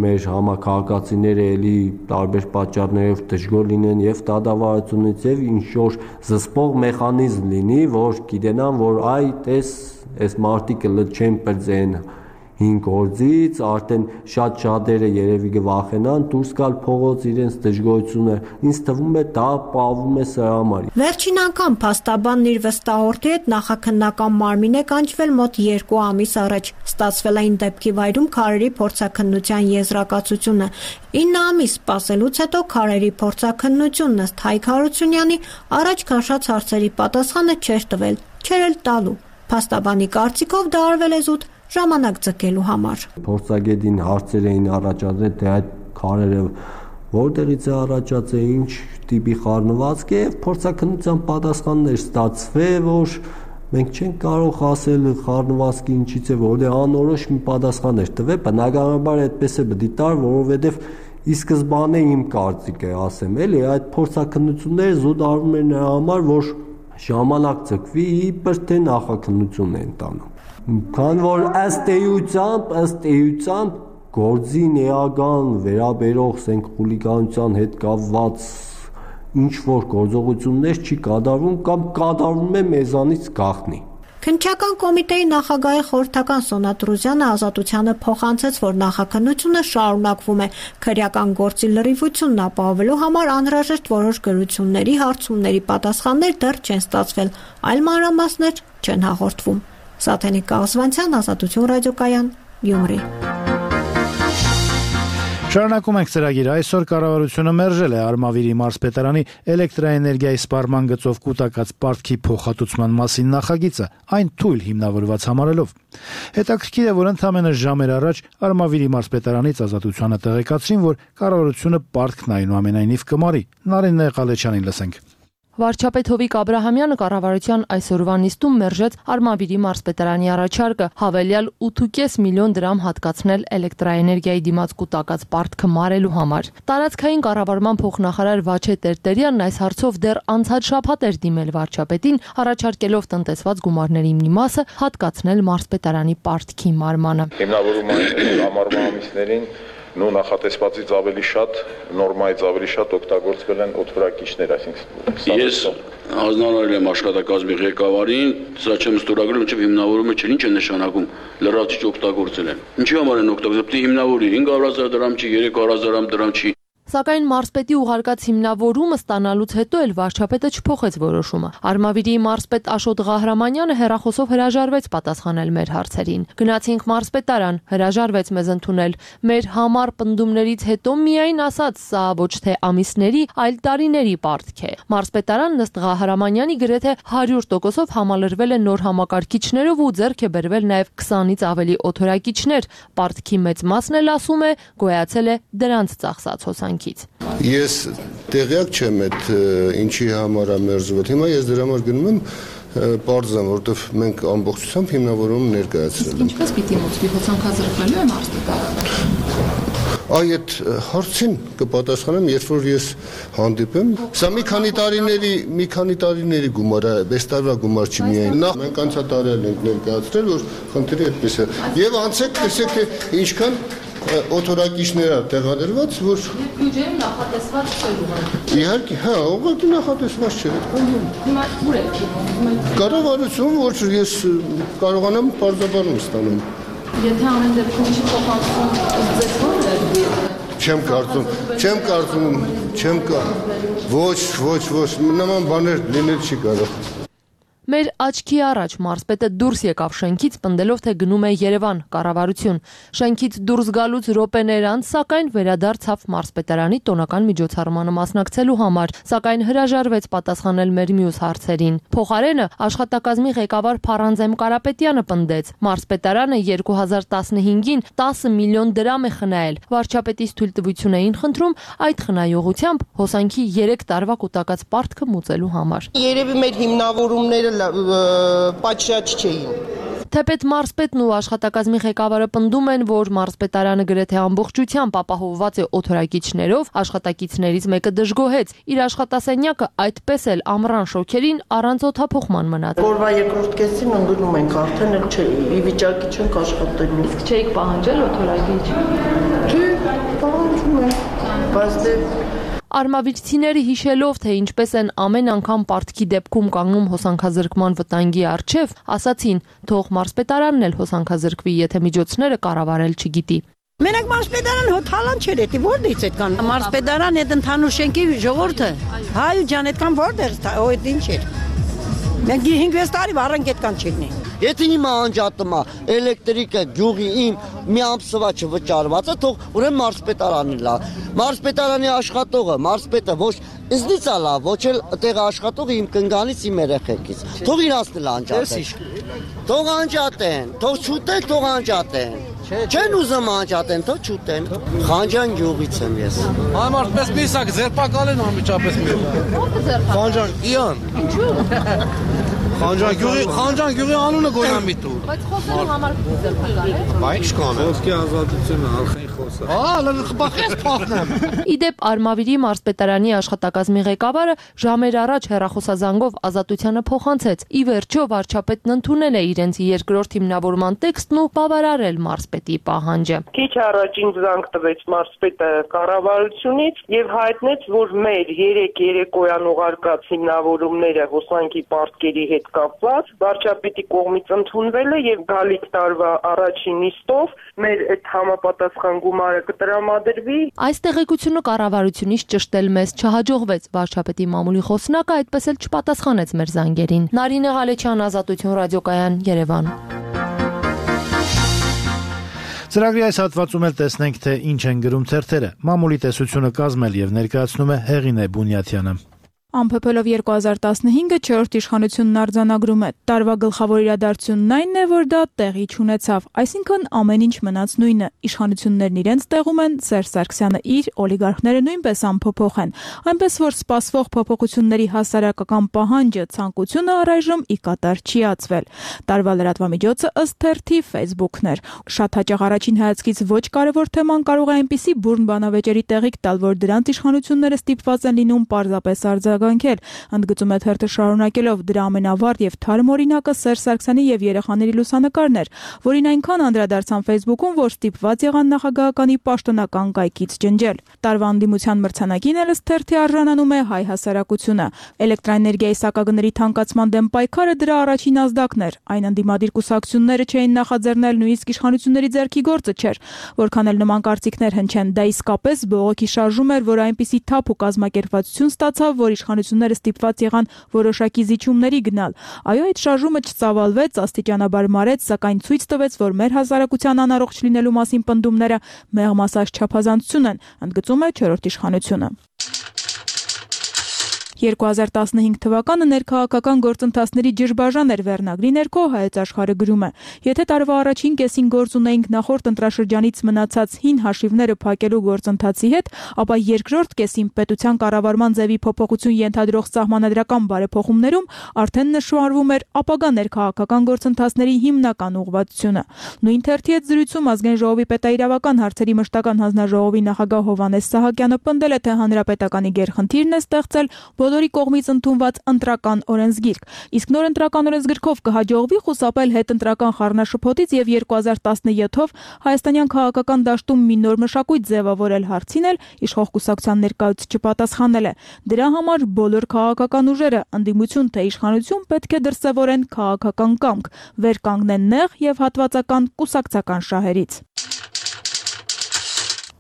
մեր համակարգացիները էլի տարբեր պատճառներով դժգոհ լինեն եւ դատավարությունից եւ ինչ որ զսպող մեխանիզմ լինի, որ գիտենան, որ այ տես այս մարտիկը լճեն բրձեն հին գործից, արդեն շատ շատերը երևի կվախենան դուրս գալ փողոց իրենց դժգոհությունը, ինձ թվում է դա պահվում է սրա համար։ Վերջին անգամ փաստաբանն իր վստահորդի հետ նախաքննական մարմին է կանչվել մոտ երկու ամիս առաջ։ Ստացվել այն դեպքի վայրում քարերի փորձաքննության եզրակացությունը։ ինը ամիս սպասելուց հետո քարերի փորձաքննությունն ըստ Հայկ Հարությունյանի առաջ քաշած հարցերի պատասխանը չէր տվել, չէր էլ տալու։ Փաստաբանի կարծիքով դա արվել է զուտ ժամանակ ձգելու համար։ Փորձագետին հարցեր էին առաջադրել, թե այդ քարերը որտեղից է առաջացել, ինչ տիպի խառնվածք է, եւ փորձաքննության պատասխաններ ստացվել, որ մենք չենք կարող ասել խառնվածքը ինչից է, որտեղ անորոշ մի պատասխաններ տվել, բնականաբար այդպես է պետք տար, որովհետեւ ի սկզբանե իմ կարծիքը ասեմ, էլի այդ փորձաքննությունները զուտ արվում են նրա համար, որ ժամանակ ձգվի, իբր թե նախաքննություն են տանում։ Քան որ ըստ էությամբ, ըստ էությամբ գործի էական վերաբերող ասենք խուլիգանության հետ կապված ինչ որ գործողություններ չի կատարվում կամ կատարվում է մեզանից գաղտնի։ Քննչական կոմիտեի նախագահի խորհրդական Սոնա Տրուզյանը Ազատությանը փոխանցեց, որ նախաքննությունը շարունակվում է։ Քրեական գործի լրիվությունն ապահովելու համար անհրաժեշտ որոշ գրությունների, հարցումների պատասխաններ դեռ չեն ստացվել, այլ մանրամասներ չեն հաղորդվում։ Սաթենիկ Կաղզվանցյան, Ազատություն ռադիոկայան, Գյումրի։ Շարունակում ենք ծրագիրը։ Այսօր կառավարությունը մերժել է Արմավիրի մարզպետարանի էլեկտրաէներգիայի սպառման գծով կուտակած պարտքի փոխհատուցման մասին նախագիծը, այն թույլ հիմնավորված համարելով։ Հետաքրքիր է, որ ընդամենը ժամեր առաջ Արմավիրի մարզպետարանից Ազատությանը տեղեկացրին, որ կառավարությունը պարտքն այնուամենայնիվ կմարի։ Նարինե Ղալեչյանին լսենք։ Վարչապետ Հովիկ Աբրահամյանը կառավարության այսօրվա նիստում մերժեց Արմավիրի մարզպետարանի առաջարկը հավելյալ ութ կես միլիոն դրամ հատկացնել էլեկտրաէներգիայի դիմաց կուտակած պարտքը մարելու համար։ Տարածքային կառավարման փոխնախարար Վաչե Տերտերյանն այս հարցով դեռ անցած շաբաթ էր դիմել վարչապետին, առաջարկելով տնտեսված գումարների մի մասը հատկացնել մարզպետարանի պարտքի մարմանը։ Հիմնավորում այն ամառվա ամիսներին նո նախատեսվածից ավելի շատ, նորմայից ավելի շատ օգտագործվել են օդորակիչներ, այսինքն ես հանձնարարել եմ աշխատակազմի ղեկավարին, սա չեմ ստորագրել, մինչև հիմնավորումը չէ, ինչ է նշանակում լրացիչ օգտագործել են։ Ինչի համար են օգտագործել, պետք է հիմնավորի հինգ հազար դրամ չի, երեք հազար դրամ չի։ Սակայն մարզպետի ուղարկած հիմնավորումը ստանալուց հետո էլ վարչապետը չփոխեց որոշումը։ Արմավիրի մարզպետ Աշոտ Ղահրամանյանը հեռախոսով հրաժարվեց պատասխանել մեր հարցերին։ Գնացինք մարզպետարան, հրաժարվեց մեզ ընդունել։ Մեր համար պնդումներից հետո միայն ասաց, սա ոչ թե ամիսների, այլ տարիների պարտք է։ Մարզպետարանն ըստ Ղահրամանյանի գրեթե հարյուր տոկոսով համալրվել է նոր համակարգիչներով ու ձեռք է բերվել նաև քսանից ավելի օդորակիչներ։ Պարտքի մեծ մասն էլ ասում է գոյացել է դրանց ծախսած հոսանք։ Ես տեղյակ չեմ այդ ինչի համար է մերժվել։ Հիմա ես դրա համար գնում եմ պարզեմ, որովհետև մենք ամբողջությամբ հիմնավորում ներկայացրել ենք։ Ինչպես պիտի մոծվի հոսանքազրկվելու է մարզպետարանը։ Այ այդ հարցին կպատասխանեմ, երբ որ ես հանդիպեմ։ Սա մի քանի տարիների, մի քանի տարիների գումար է, այս տարվա գումար չի միայն։ Նախ մենք անցատարել ենք ներկայացրել, որ խնդիրը այդպես է։ Եվ անցեք, տեսեք, թե ինչքան օդորակիչներ է տեղադրված, որ բյուջեում նախատեսված չէր ուղղակի։ Իհարկե, հա, ուղղակի նախատեսված չէր, այդքան։ Հիմա ուր եք գնում։ Կառավարություն, որ ես կարողանամ պարզաբանում ստանամ։ Եթե ամեն դեպքում չի փոխանցում, ձեզ ո՞ր է։ չեմ կարծում, չեմ կարծում, չեմ կա։ Ոչ, ոչ, ոչ, նման բաներ լինել չի կարող։ Մեր աչքի առաջ մարզպետը դուրս եկավ շենքից, պնդելով, թե գնում է Երևան, կառավարություն։ Շենքից դուրս գալուց րոպեներ անց, սակայն վերադարձավ մարզպետարանի տոնական միջոցառմանը մասնակցելու համար, սակայն հրաժարվեց պատասխանել մեր մյուս հարցերին։ Փոխարենը աշխատակազմի ղեկավար Փառանձեմ Կարապետյանը պնդեց, մարզպետարանը երկու հազար տասնհինգին տասը միլիոն դրամ է խնայել։ Վարչապետից թույլտվություն էին խնդրում այդ խնայողությամբ հոսանքի երեք տարվա կուտակած պարտքը մուծելու համար։ Երևի մեր հիմնավորումները պատշաճ չէին։ Թեպետ մարզպետն ու աշխատակազմի ղեկավարը պնդում են, որ մարզպետարանը գրեթե ամբողջությամբ ապահովված է օդորակիչներով, աշխատակիցներից մեկը դժգոհեց, իր աշխատասենյակը այդպես էլ ամռան շոքերին առանց օդափոխման մնաց։ Օրվա երկրորդ կեսին ընդունում ենք արդեն էլ չէ, ի վիճակի չենք աշխատելու։ Իսկ չէիք պահանջել օդորակիչ։ Չէ, պահանջում ենք, բայց դե Արմավիրցիները հիշելով, թե ինչպես են ամեն անգամ պարտքի դեպքում կանգնում հոսանքազրկման վտանգի առջև, ասացին, թող մարզպետարանն էլ հոսանքազրկվի, եթե միջոցները կառավարել չգիտի։ Մենակ մարզպետարան հոթալան չէր էտի, որտեղից այդքան մարզպետարան այդ ընդհանուր շենքի ժողովուրդը, հայ ու ջան, այդքան որտեղից, օ այդ ինչ էր։ Մենք հինգ-վեց տարի վառանք այդքան չեղնի։ Եթե հիմա անջատումա էլեկտրիկը գյուղի իմ մի ամսվա չվճարված է, թող ուրեմն մարզպետարանի լա։ Մարզպետարանի աշխատողը, մարզպետը ոչ ինձնից է լավ, ոչ էլ տեղ աշխատողը իմ կնգանից, իմ երեխեքից։ Թող իրանցն էլ անջատեն։ Թող անջատեն, թող չուտեն, թող անջատեն։ Չեն ուզում անջատեն, թող չուտեն։ Խանջան գյուղից եմ ես։ Համարպես միսակ ձերպակալ են անմիջապես մի։ Խանջան Իան։ Ինչու՞։ Խանջան գյուղի, Խանջան գյուղի անունը գոյամիտ ու։ Բայց խոսելու համար ձերպակալ է։ Բայց կան։ Խոսքի ազատությունը արխային խոսը։ Հա, լավ խփախես փախնեմ։ Իդեպ Արմավիրի մարզպետարանի աշխատակազմի ղեկավարը ժամեր առաջ հեռախոսազանգով Ազատությանը փոխանցեց։ Ի վերջո վարչապետն ընդունել է իրենց երկրորդ հիմնավորման տեքստն ու բավարարել մարզպետի պահանջը։ Քիչ առաջին զանգ տվեց մարզպետը կառավարությունից եւ հայտնեց, որ մեր երեք երեկոյան ուղարկած հիմնավորումները հոսանքի պարտքերի հետ կապված վարչապետի կողմից ընդունվել է եւ գալիք տարվա առաջին նիստով մեր այդ համապատասխան գումարը կտրամադրվի։ Այս տեղեկությունը կառավարությունից ճշտել մեզ չհաջողվեց։ Վարչապետի մամուլի խոսնակը այդպես էլ չպատասխանեց մեր զանգերին։ Նարինե Ղալեչյան, Ազատություն ռադիոկայան, Երևան։ Ծրագրի այս հատվածում էլ տեսնենք, թե ինչ են գրում թերթերը։ Մամուլի տեսությունը կազմել եւ ներկայացնում է Հեղինե Բունյաթյանը։ Ամփոփելով երկու հազար տասնհինգը չորրորդ իշխանությունն արձանագրում է. տարվա գլխավոր իրադարձությունն այն է, որ դա տեղի չունեցավ, այսինքն ամեն ինչ մնաց նույնը։ Իշխանություններն իրենց տեղում են, Սերժ Սարգսյանը իր, օլիգարխները նույնպես ամփոփող են, այնպես որ սպասվող փոփոխությունների հասարակական պահանջը, ցանկությունը առայժմ ի կատար չի ածվել։ Տարվա լրատվամիջոցը ըստ թերթի Facebook-ն էր։ Շատ հաճախ առաջին հայացքից ոչ կարևոր թեման կարող է այնպիսի բուրն բանավեճերի տեղիք տալ, որ դրանց իշխանությունները ստիպված են լինում պարզապես արձագանքել։ Ընդգծում է թերթը շարունակելով, դրա ամենավառ եւ թարմ օրինակը Սերժ Սարգսյանի եւ երեխաների լուսանկարն էր, որին այնքան անդրադարձան Facebook-ում, որ ստիպված եղան նախագահականի պաշտոնական կայքից ջնջել։ Տարվա անդիմության մրցանակին էլ ըստ թերթի արժանանում է հայ հասարակությունը։ Էլեկտրաէներգիայի սակագների թանկացման դեմ պայքարը դրա առաջին ազդակն էր։ Այն անդիմադիր կուսակցությունները չէին նախաձեռնել, նույնիսկ իշխանությունների ձեռքի գործը չէր։ Որքան էլ նման կարծիքներ հնչեն, դա իսկապես բողոքի շարժում էր, որ այնպիսի թափ ու կազմակերպվածություն ստացավ, որ իշխանությունները ստիպված եղան որոշակի զիջումների գնալ։ Այո, այդ շարժումը չծավալվեց, աստիճանաբար մարեց, սակայն ցույց տվեց, որ մեր հասարակության անառողջ լինելու մասին պնդումները մեղմասած չափազանցություն են, ընդգծում է չորրորդ իշխանությունը։ երկու հազար տասնհինգ թվականը ներքաղաքական գործընթացների ջրբաժան էր վերնագրի ներքո Հայոց Աշխարհը գրում է. եթե տարվա առաջին կեսին գործ ունեինք նախորդ ընտրաշրջանից մնացած հին հաշիվները փակելու գործընթացի հետ, ապա երկրորդ կեսին պետության կառավարման ձևի փոփոխություն ենթադրող սահմանադրական բարեփոխումներում արդեն նշмарվում էր ապագա ներքաղաքական գործընթացների հիմնական ուղղվածությունը։ Նույն թերթի հետ զրույցում ազգային ժողովի պետաիրավական հարցերի մշտական հանձնաժողովի նախագահ Հովհաննես Սահակյանը պնդել է, թե հանրապետականի գերխնդիրն է ստեղծել բոլորի կողմից ընդունված ընտրական օրենսգիրք, իսկ նոր ընտրական օրենսգրքով կհաջողվի խուսափել հետընտրական խառնաշփոթից եւ երկու հազար տասնյոթով հայաստանյան քաղաքական դաշտում մի նոր մշակույթ ձևավորել հարցին էլ իշխող կուսակցության ներկայացուցիչ չպատասխանել է։ Դրա համար բոլոր քաղաքական ուժերը, ընդդիմություն թե իշխանություն, պետք է դրսևորեն քաղաքական կամք, վեր կանգնեն նեղ եւ հատվածական կուսակցական շահերից։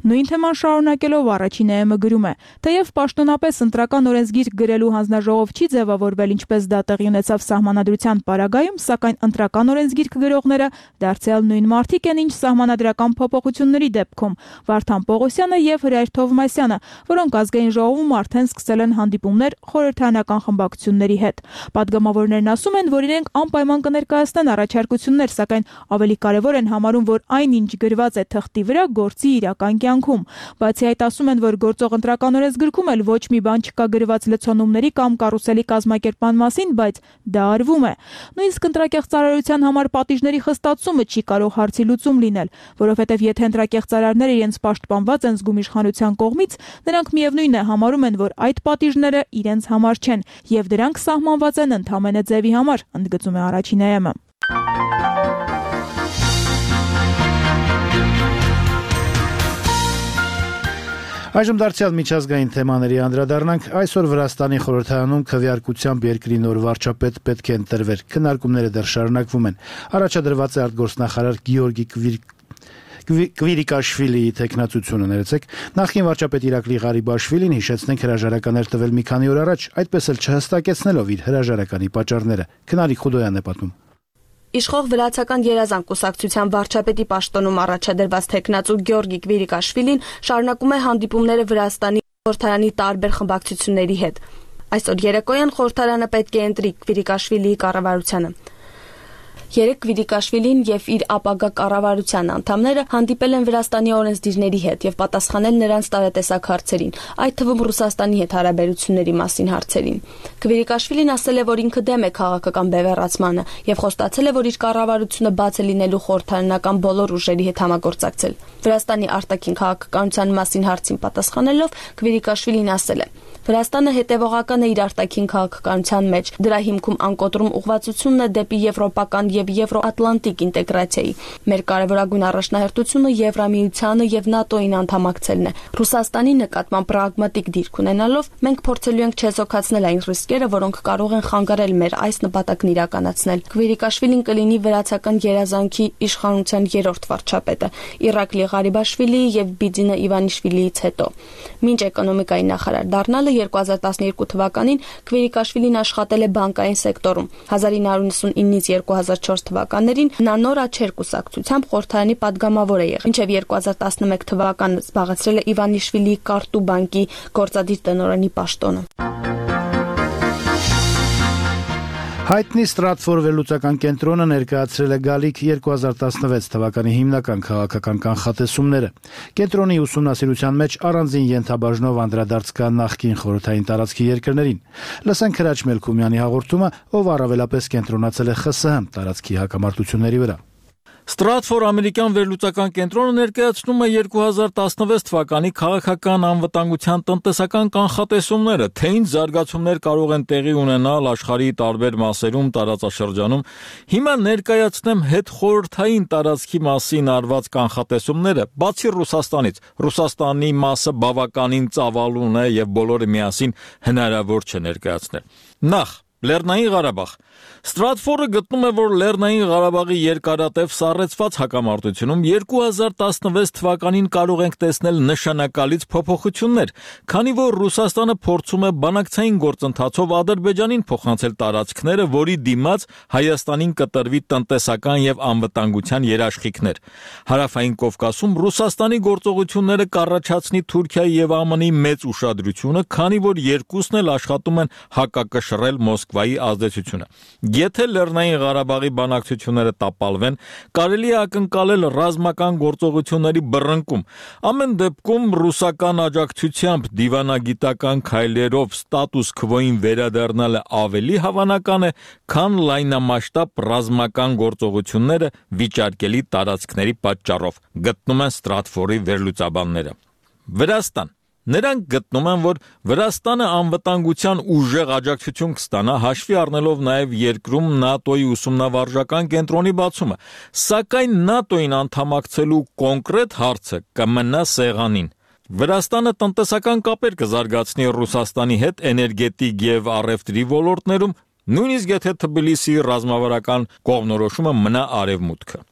Նույն թեման շարունակելով առաջին ԵՄ գրում է. թեև պաշտոնապես ընտրական օրենսգիր գրելու հանձնաժողով չի ձևավորվել, ինչպես դա տեղի ունեցավ սահմանադրության պարագայում, սակայն ընտրական օրենսգիր գրողները դարձյալ նույն մարդիկ են, ինչ սահմանադրական փոփոխությունների դեպքում Վարդան Պողոսյանը եւ Հրայր Թովմասյանը, որոնք ազգային ժողովում արդեն սկսել են հանդիպումներ խորհրդարանական խմբակցությունների հետ։ Պատգամավորներն ասում են, որ իրենք անպայման կներկայացնեն առաջարկություններ, սակայն ավելի կարևոր են համարում, որ այն, ինչ գրված է թղթի վրա, գործի իրական կյանքում։ Բացի այդ, ասում են, որ գործող ընտրական օրենսգրքում էլ ոչ մի բան չկա գրված լցոնումների կամ կարուսելի կազմակերպման մասին, բայց դա արվում է։ Նույնիսկ ընտրակեղծարարության համար պատիժների խստացումը չի կարող հարցի լուծում լինել, որովհետև եթե ընտրակեղծարարները իրենց պաշտպանված են զգում իշխանության կողմից, նրանք միևնույն է համարում են, որ այդ պատիժները իրենց համար չեն, եւ դրանք սահմանված են ընդհանրապես ձևի համար, ընդգծում է առաջին ԵՄ-ը։ Այժմ դարձյալ միջազգային թեմաների անդրադառնանք։ Այսօր Վրաստանի խորհրդարանում քվեարկությամբ երկրի նոր վարչապետ պետք է ընտրվեր։ Քննարկումները դեռ շարունակվում են։ Առաջադրված է արտգործնախարար Գեորգի Կվիրիկաշվիլիի տեխնացությունը, ներեցեք, նախկին վարչապետ Իրակլի Ղարիբաշվիլին հիշեցնենք հրաժարականներ տվել մի քանի օր առաջ, այդպես էլ չհստակեցնելով իր հրաժարականի պատճառները։ Քնարիկ Խուդոյանն է պատմում։ Իշխող վրացական երազանք կուսակցության վարչապետի պաշտոնում առաջադրված տեխնացու Գեորգի Կվիրիկաշվիլին շարունակում է հանդիպումները Վրաստանի խորհրդարանի տարբեր խմբակցությունների հետ։ Այսօր երեկոյան խորհրդարանը պետք է ընտրի Կվիրիկաշվիլիի կառավարությանը։ Երեք Կվիրիկաշվիլին եւ իր ապագա կառավարության անդամները հանդիպել են Վրաստանի օրենսդիրների հետ եւ պատասխանել նրանց տարատեսակ հարցերին, այդ թվում Ռուսաստանի հետ հարաբերությունների մասին հարցերին։ Կվիրիկաշվիլին ասել է, որ ինքը դեմ է քաղաքական բևեռացմանը եւ խոստացել է, որ իր կառավարությունը բաց է լինելու խորհրդարանական բոլոր ուժերի հետ համագործակցել։ Վրաստանի արտաքին քաղաքականության մասին հարցին պատասխանելով Կվիրիկաշվիլին ասել է. Վրաստանը հետևողական է իր արտաքին քաղաքականության մեջ, դրա հիմքում անկոտրում ուղղվածությունն է դեպի եվրոպական եւ եվրոատլանտիկ ինտեգրացիայի։ Մեր կարևորագույն առաջնահերթությունը Եվրամիությանը եւ ՆԱՏՕ-ին անդամակցելն է։ Ռուսաստանի նկատմամբ պրագմատիկ դիրք ունենալով մենք փորձելու ենք չեզոքացնել այն ռիսկերը, որոնք կարող են խանգարել մեր այս նպատակն իրականացնել։ Կվիրիկաշվիլին կլինի վրացական երազանքի իշխանության երրորդ վարչապետը, Իրակլի Ղարիբաշվիլիի եւ Բիդինե Իվանիշվիլիից հետո։ Մինչ էկոնոմիկայի նախարար դառնալը երկու հազար տասներկու թվականին Կվիրիկաշվիլին աշխատել է բանկային սեկտորում։ հազար ինը հարյուր նվաթից երկու հազար չորս թվականներին նա նոր աչեր կուսակցությամբ խորհրդարանի падգամավոր է եղել, մինչև երկու հազար տասնմեկ թվականը զբաղեցրել է Իվանիշվիլիի Կարտու բանկի գործադիր տնօրենի պաշտոնը։ Հայտնի Stratfor վերլուծական կենտրոնը ներկայացրել է գալիք երկու հազար տասնվեց թվականի հիմնական քաղաքական կանխատեսումները։ Կենտրոնի ուսումնասիրության մեջ առանձին ենթաբաժնով անդրադարձ կա նախկին խորհրդային տարածքի երկրներին։ Լսենք Հրաչ Մելքումյանի հաղորդումը, ով առավելապես կենտրոնացել է ԽՍՀՄ տարածքի հակամարտությունների վրա։ Stratfor ամերիկյան վերլուծական կենտրոնը ներկայացնում է երկու հազար տասնվեց թվականի քաղաքական անվտանգության տնտեսական կանխատեսումները, թե ինչ զարգացումներ կարող են տեղի ունենալ աշխարհի տարբեր մասերում տարածաշրջանում։ Հիմա ներկայացնեմ հետխորհրդային տարածքի մասին արված կանխատեսումները, բացի Ռուսաստանից։ Ռուսաստանի մասը բավականին ծավալուն է եւ բոլորը միասին հնարավոր չէ ներկայացնել։ Նախ Լեռնային Ղարաբաղ։ Stratfor-ը գտնում է, որ Լեռնային Ղարաբաղի երկարատև սառեցված հակամարտությունում երկու հազար տասնվեց թվականին կարող ենք տեսնել նշանակալից փոփոխություններ, քանի որ Ռուսաստանը փորձում է բանակցային գործընթացով Ադրբեջանին փոխանցել տարածքները, որի դիմաց Հայաստանին կտրվի տնտեսական եւ անվտանգության երաշխիքներ։ Հարավային Կովկասում Ռուսաստանի գործողությունները կառաջացնի Թուրքիայի եւ ԱՄՆ-ի մեծ ուշադրությունը, քանի որ երկուսն էլ աշխատում են հակակշռել Մոսկվայի ազդեցությունը։ Եթե Լեռնային Ղարաբաղի բանակցությունները տապալվեն, կարելի է ակնկալել ռազմական գործողությունների բռնկում։ Ամեն դեպքում ռուսական աջակցությամբ դիվանագիտական քայլերով ստատուս քվոին վերադառնալը ավելի հավանական է, քան լայնամասշտաբ ռազմական գործողությունները վիճարկելի տարածքների պատճառով, գտնում են Stratfor-ի վերլուծաբանները։ Վրաստան։ Նրանք գտնում են, որ Վրաստանը անվտանգության ուժեղ աջակցություն կստանա, հաշվի առնելով նաև երկրում ՆԱՏՕ-ի ուսումնավարժական կենտրոնի բացումը, սակայն ՆԱՏՕ-ին անդամակցելու կոնկրետ հարցը կմնա սեղանին։ Վրաստանը տնտեսական կապեր կզարգացնի Ռուսաստանի հետ էներգետիկ եւ առևտրի ոլորտներում, նույնիսկ եթե Թբիլիսիի ռազմավարական կողմնորոշումը մնա արևմուտքը։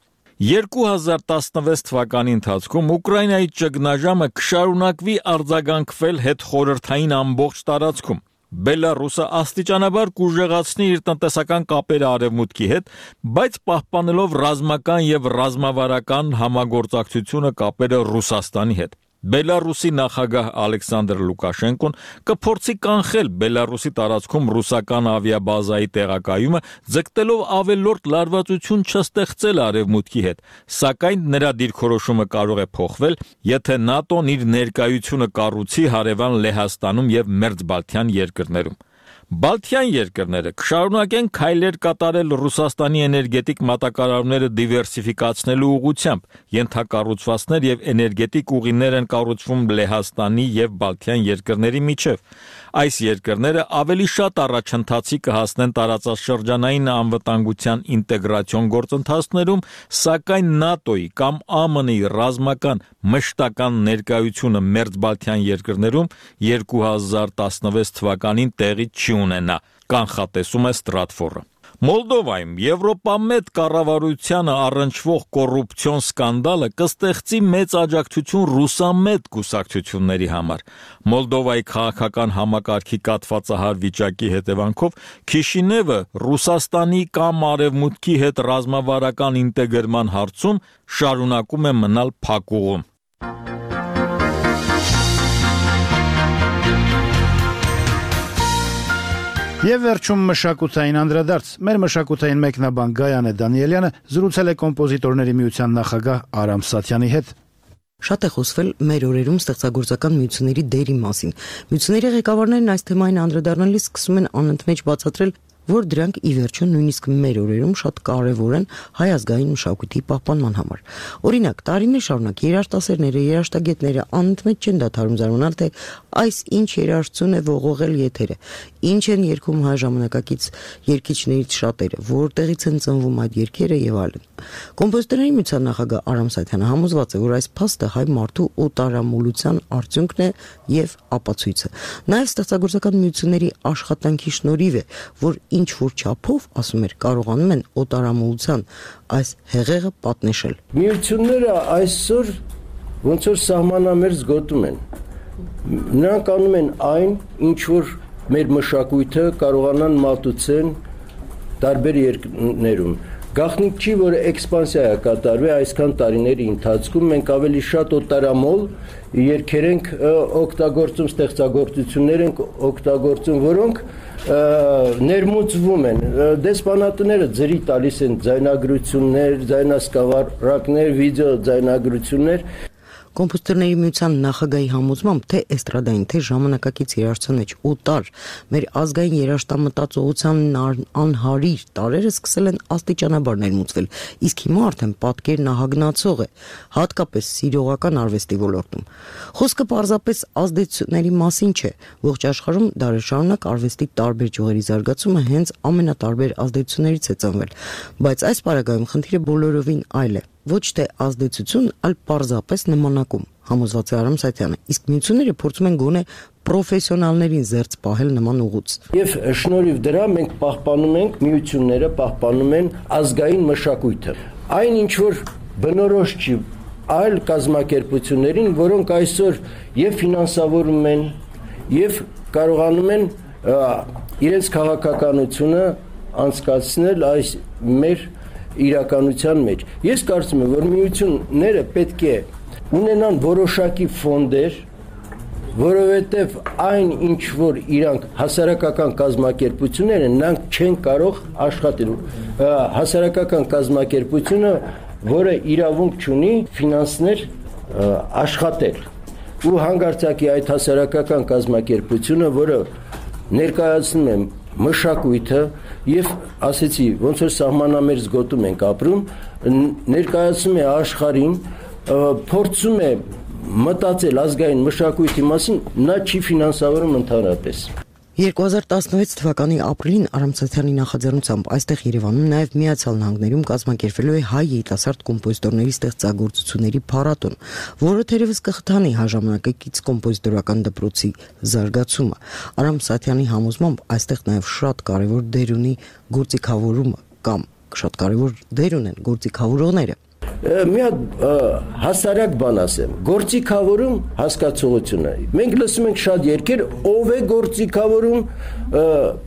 երկու հազար տասնվեց թվականի ընթացքում Ուկրաինայի ճգնաժամը կշարունակվի արձագանքվել հետխորհրդային ամբողջ տարածքում։ Բելարուսը աստիճանաբար կուժեղացնի իր տնտեսական կապերը արևմուտքի հետ, բայց պահպանելով ռազմական եւ ռազմավարական համագործակցությունը կապերը Ռուսաստանի հետ։ Բելարուսի նախագահ Ալեքսանդր Լուկաշենկոն կփորձի կանխել Բելարուսի տարածքում ռուսական ավիաբազայի տեղակայումը, ձգտելով ավելորդ լարվածություն չստեղծել արևմուտքի հետ, սակայն նրա դիրքորոշումը կարող է փոխվել, եթե ՆԱՏՕ-ն իր ներկայությունը կառուցի հարևան Լեհաստանում եւ Մերձբալթյան երկրներում։ Բալթյան երկրները կշարունակեն քայլեր կատարել Ռուսաստանի էներգետիկ մատակարարումները դիվերսիֆիկացնելու ուղղությամբ, ենթակառուցվածքներ եւ էներգետիկ ուղիներ են կառուցվում Լեհաստանի եւ Բալթյան երկրների միջև։ Այս երկրները ավելի շատ առաջընթացի կհասնեն տարածաշրջանային անվտանգության ինտեգրացիոն գործընթացներում, սակայն ՆԱՏՕ-ի կամ ԱՄՆ-ի ռազմական մշտական ներկայությունը Մերձբալթյան երկրներում երկու հազար տասնվեց թվականին տեղի չի ունենա, կանխատեսում է Ստրատֆորը։ Մոլդովայում Եվրոպամետ կառավարությանը առնչվող կոռուպցիոն սկանդալը կստեղծի մեծ աջակցություն ռուսամետ կուսակցությունների համար։ Մոլդովայի քաղաքական համակարգի կաթվածահար վիճակի հետևանքով Քիշինևը Ռուսաստանի կամ Արևմուտքի հետ ռազմավարական ինտեգրման հարցում շարունակում է մնալ փակուղում։ Եվ վերջում մշակութային անդրադարձ։ Մեր մշակութային մեկնաբան Գայանե Դանիելյանը զրուցել է կոմպոզիտորների միության նախագահ Արամ Սաթյանի հետ։ Շատ է խոսվել մեր օրերում ստեղծագործական միությունների դերի մասին։ Միությունների ղեկավարներն այս թեմային անդրադառնալիս սկսում են անընդմեջ բացատրել, որ դրանք ի վերջո նույնիսկ մեր օրերում շատ կարևոր են հայ ազգային մշակույթի պահպանման համար։ Օրինակ, տարիներ շարունակ երաժշտասերները, երաժշտագետները անընդմեջ չեն դադարում զարմանալ, թե այս ինչ երաժշտություն է ողողել եթերը, ինչ են երգում հայ ժամանակակից երգիչներից շատերը, որտեղից են ծնվում այդ երգերը եւ այլն։ Կոմպոզիտորների միության նախագահ Արամ Սաթյանը համոզված է, որ այս փաստը հայ մարդու օտարամոլության արդյունքն է եւ ապացույցը։ Նաեւ ստեղծագործական միությունների աշխատանքի շնորհիվ է, որ ինչ որ չափով, ասում էր, կարողանում են օտարամոլության այս հեղեղը պատնեշել։ Միությունները այսօր ոնց որ սահմանամերձ գոտում են։ Նրանք անում են այն, ինչ որ մեր մշակույթը կարողանան մատուցեն տարբեր երկրներում։ Գաղտնիք չի, որ էքսպանսիա է կատարվել այսքան տարիների ընթացքում, մենք ավելի շատ օտարամոլ երգեր ենք օգտագործում, ստեղծագործություններ ենք օգտագործում, որոնք ներմուծվում են։ Դեսպանատները ձրի տալիս են ձայնագրություններ, ձայնասկավառակներ, վիդեո ձայնագրություններ։ Կոմպոզիտորների միության նախագահի համոզմամբ թե էստրադային, թե ժամանակակից երաժշտության մեջ օտար մեր ազգային երաժշտամտածողության անհարիր տարրերը սկսել են աստիճանաբար ներմուծվել, իսկ հիմա արդեն պատկերն ահագնացող է, հատկապես սիրողական արվեստի ոլորտում։ Խոսքը պարզապես ազդեցությունների մասին չէ, ողջ աշխարհում դարեր շարունակ արվեստի տարբեր ճյուղերի զարգացումը հենց ամենատարբեր ազդեցություններից է ծնվել, բայց այս պարագայում խնդիրը բոլորովին այլ է։ Ոչ թե ազդեցություն, այլ պարզապես նմանակում, համոզված է Արամ Սաթյանը, իսկ միությունները փորձում են գոնե պրոֆեսիոնալներին զերծ պահել նման ուղուց։ Եվ շնորհիվ դրա մենք պահպանում ենք, միությունները պահպանում են ազգային մշակույթը։ Այն ինչ որ բնորոշ չի այլ կազմակերպություններին, որոնք այսօր եւ ֆինանսավորում են, եւ կարողանում են իրենց քաղաքականությունը անցկացնել այս մեր իրականության մեջ։ Ես կարծում եմ, որ միությունները պետք է ունենան որոշակի ֆոնդեր, որովհետև այն ինչ որ իրանք հասարակական կազմակերպություններ են, նրանք չեն կարող աշխատել։ Հասարակական կազմակերպությունը, որը իրավունք չունի ֆինանսներ աշխատել։ Ու հանգարցակի այդ հասարակական կազմակերպությունը, որը ներկայացնում է մշակույթը եւ ասեցի, ոնց որ սահմանամերձ գոտում ենք ապրում, ներկայացնում է աշխարհին, փորձում է մտածել ազգային մշակույթի մասին, նա չի ֆինանսավորում ընդհանրապես։ երկու հազար տասնվեց թվականի ապրիլին Արամ Սաթյանի նախաձեռնությամբ այստեղ Երևանում նաև Միացյալ Նահանգներում կազմակերպվելու է հայ երիտասարդ կոմպոզիտորների ստեղծագործությունների փառատոն, որը թերևս կխթանի հայ ժամանակակից կոմպոզիտորական դպրոցի զարգացումը։ Արամ Սաթյանի համոզմամբ այստեղ նաև շատ կարևոր դեր ունի գործիքավորումը կամ շատ կարևոր դեր ունեն գործիքավորողները։ մի հատ հասարակ բան ասեմ, գործիքավորում հասկացողությունը։ Մենք լսում ենք շատ երկեր, ով է գործիքավորում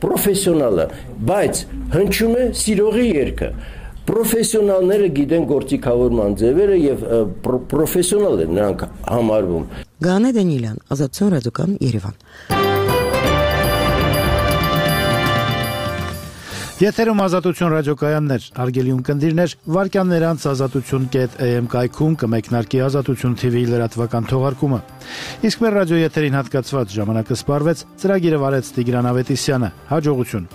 պրոֆեսիոնալը, բայց հնչում է սիրողի երգը։ Պրոֆեսիոնալները գիտեն գործիքավորման ձևերը եւ պրոֆեսիոնալ են նրանք համարվում։ Գանե Դանիելյան, Ազատություն ռադիոկայան, Երևան։ Եթերում Ազատություն ռադիոկայաններ, հարգելի ունկնդիրներ, վարքյաններ անց ազատություն կետ է էմ կայքում կմեկնարկի Ազատություն թի վի լրատվական թողարկումը։ Իսկ մեր ռադիո եթերին հատկացված ժամանակը սպառվեց, ծրագիրը վարեց Տիգրան Ավետիսյանը։ Հաջողություն։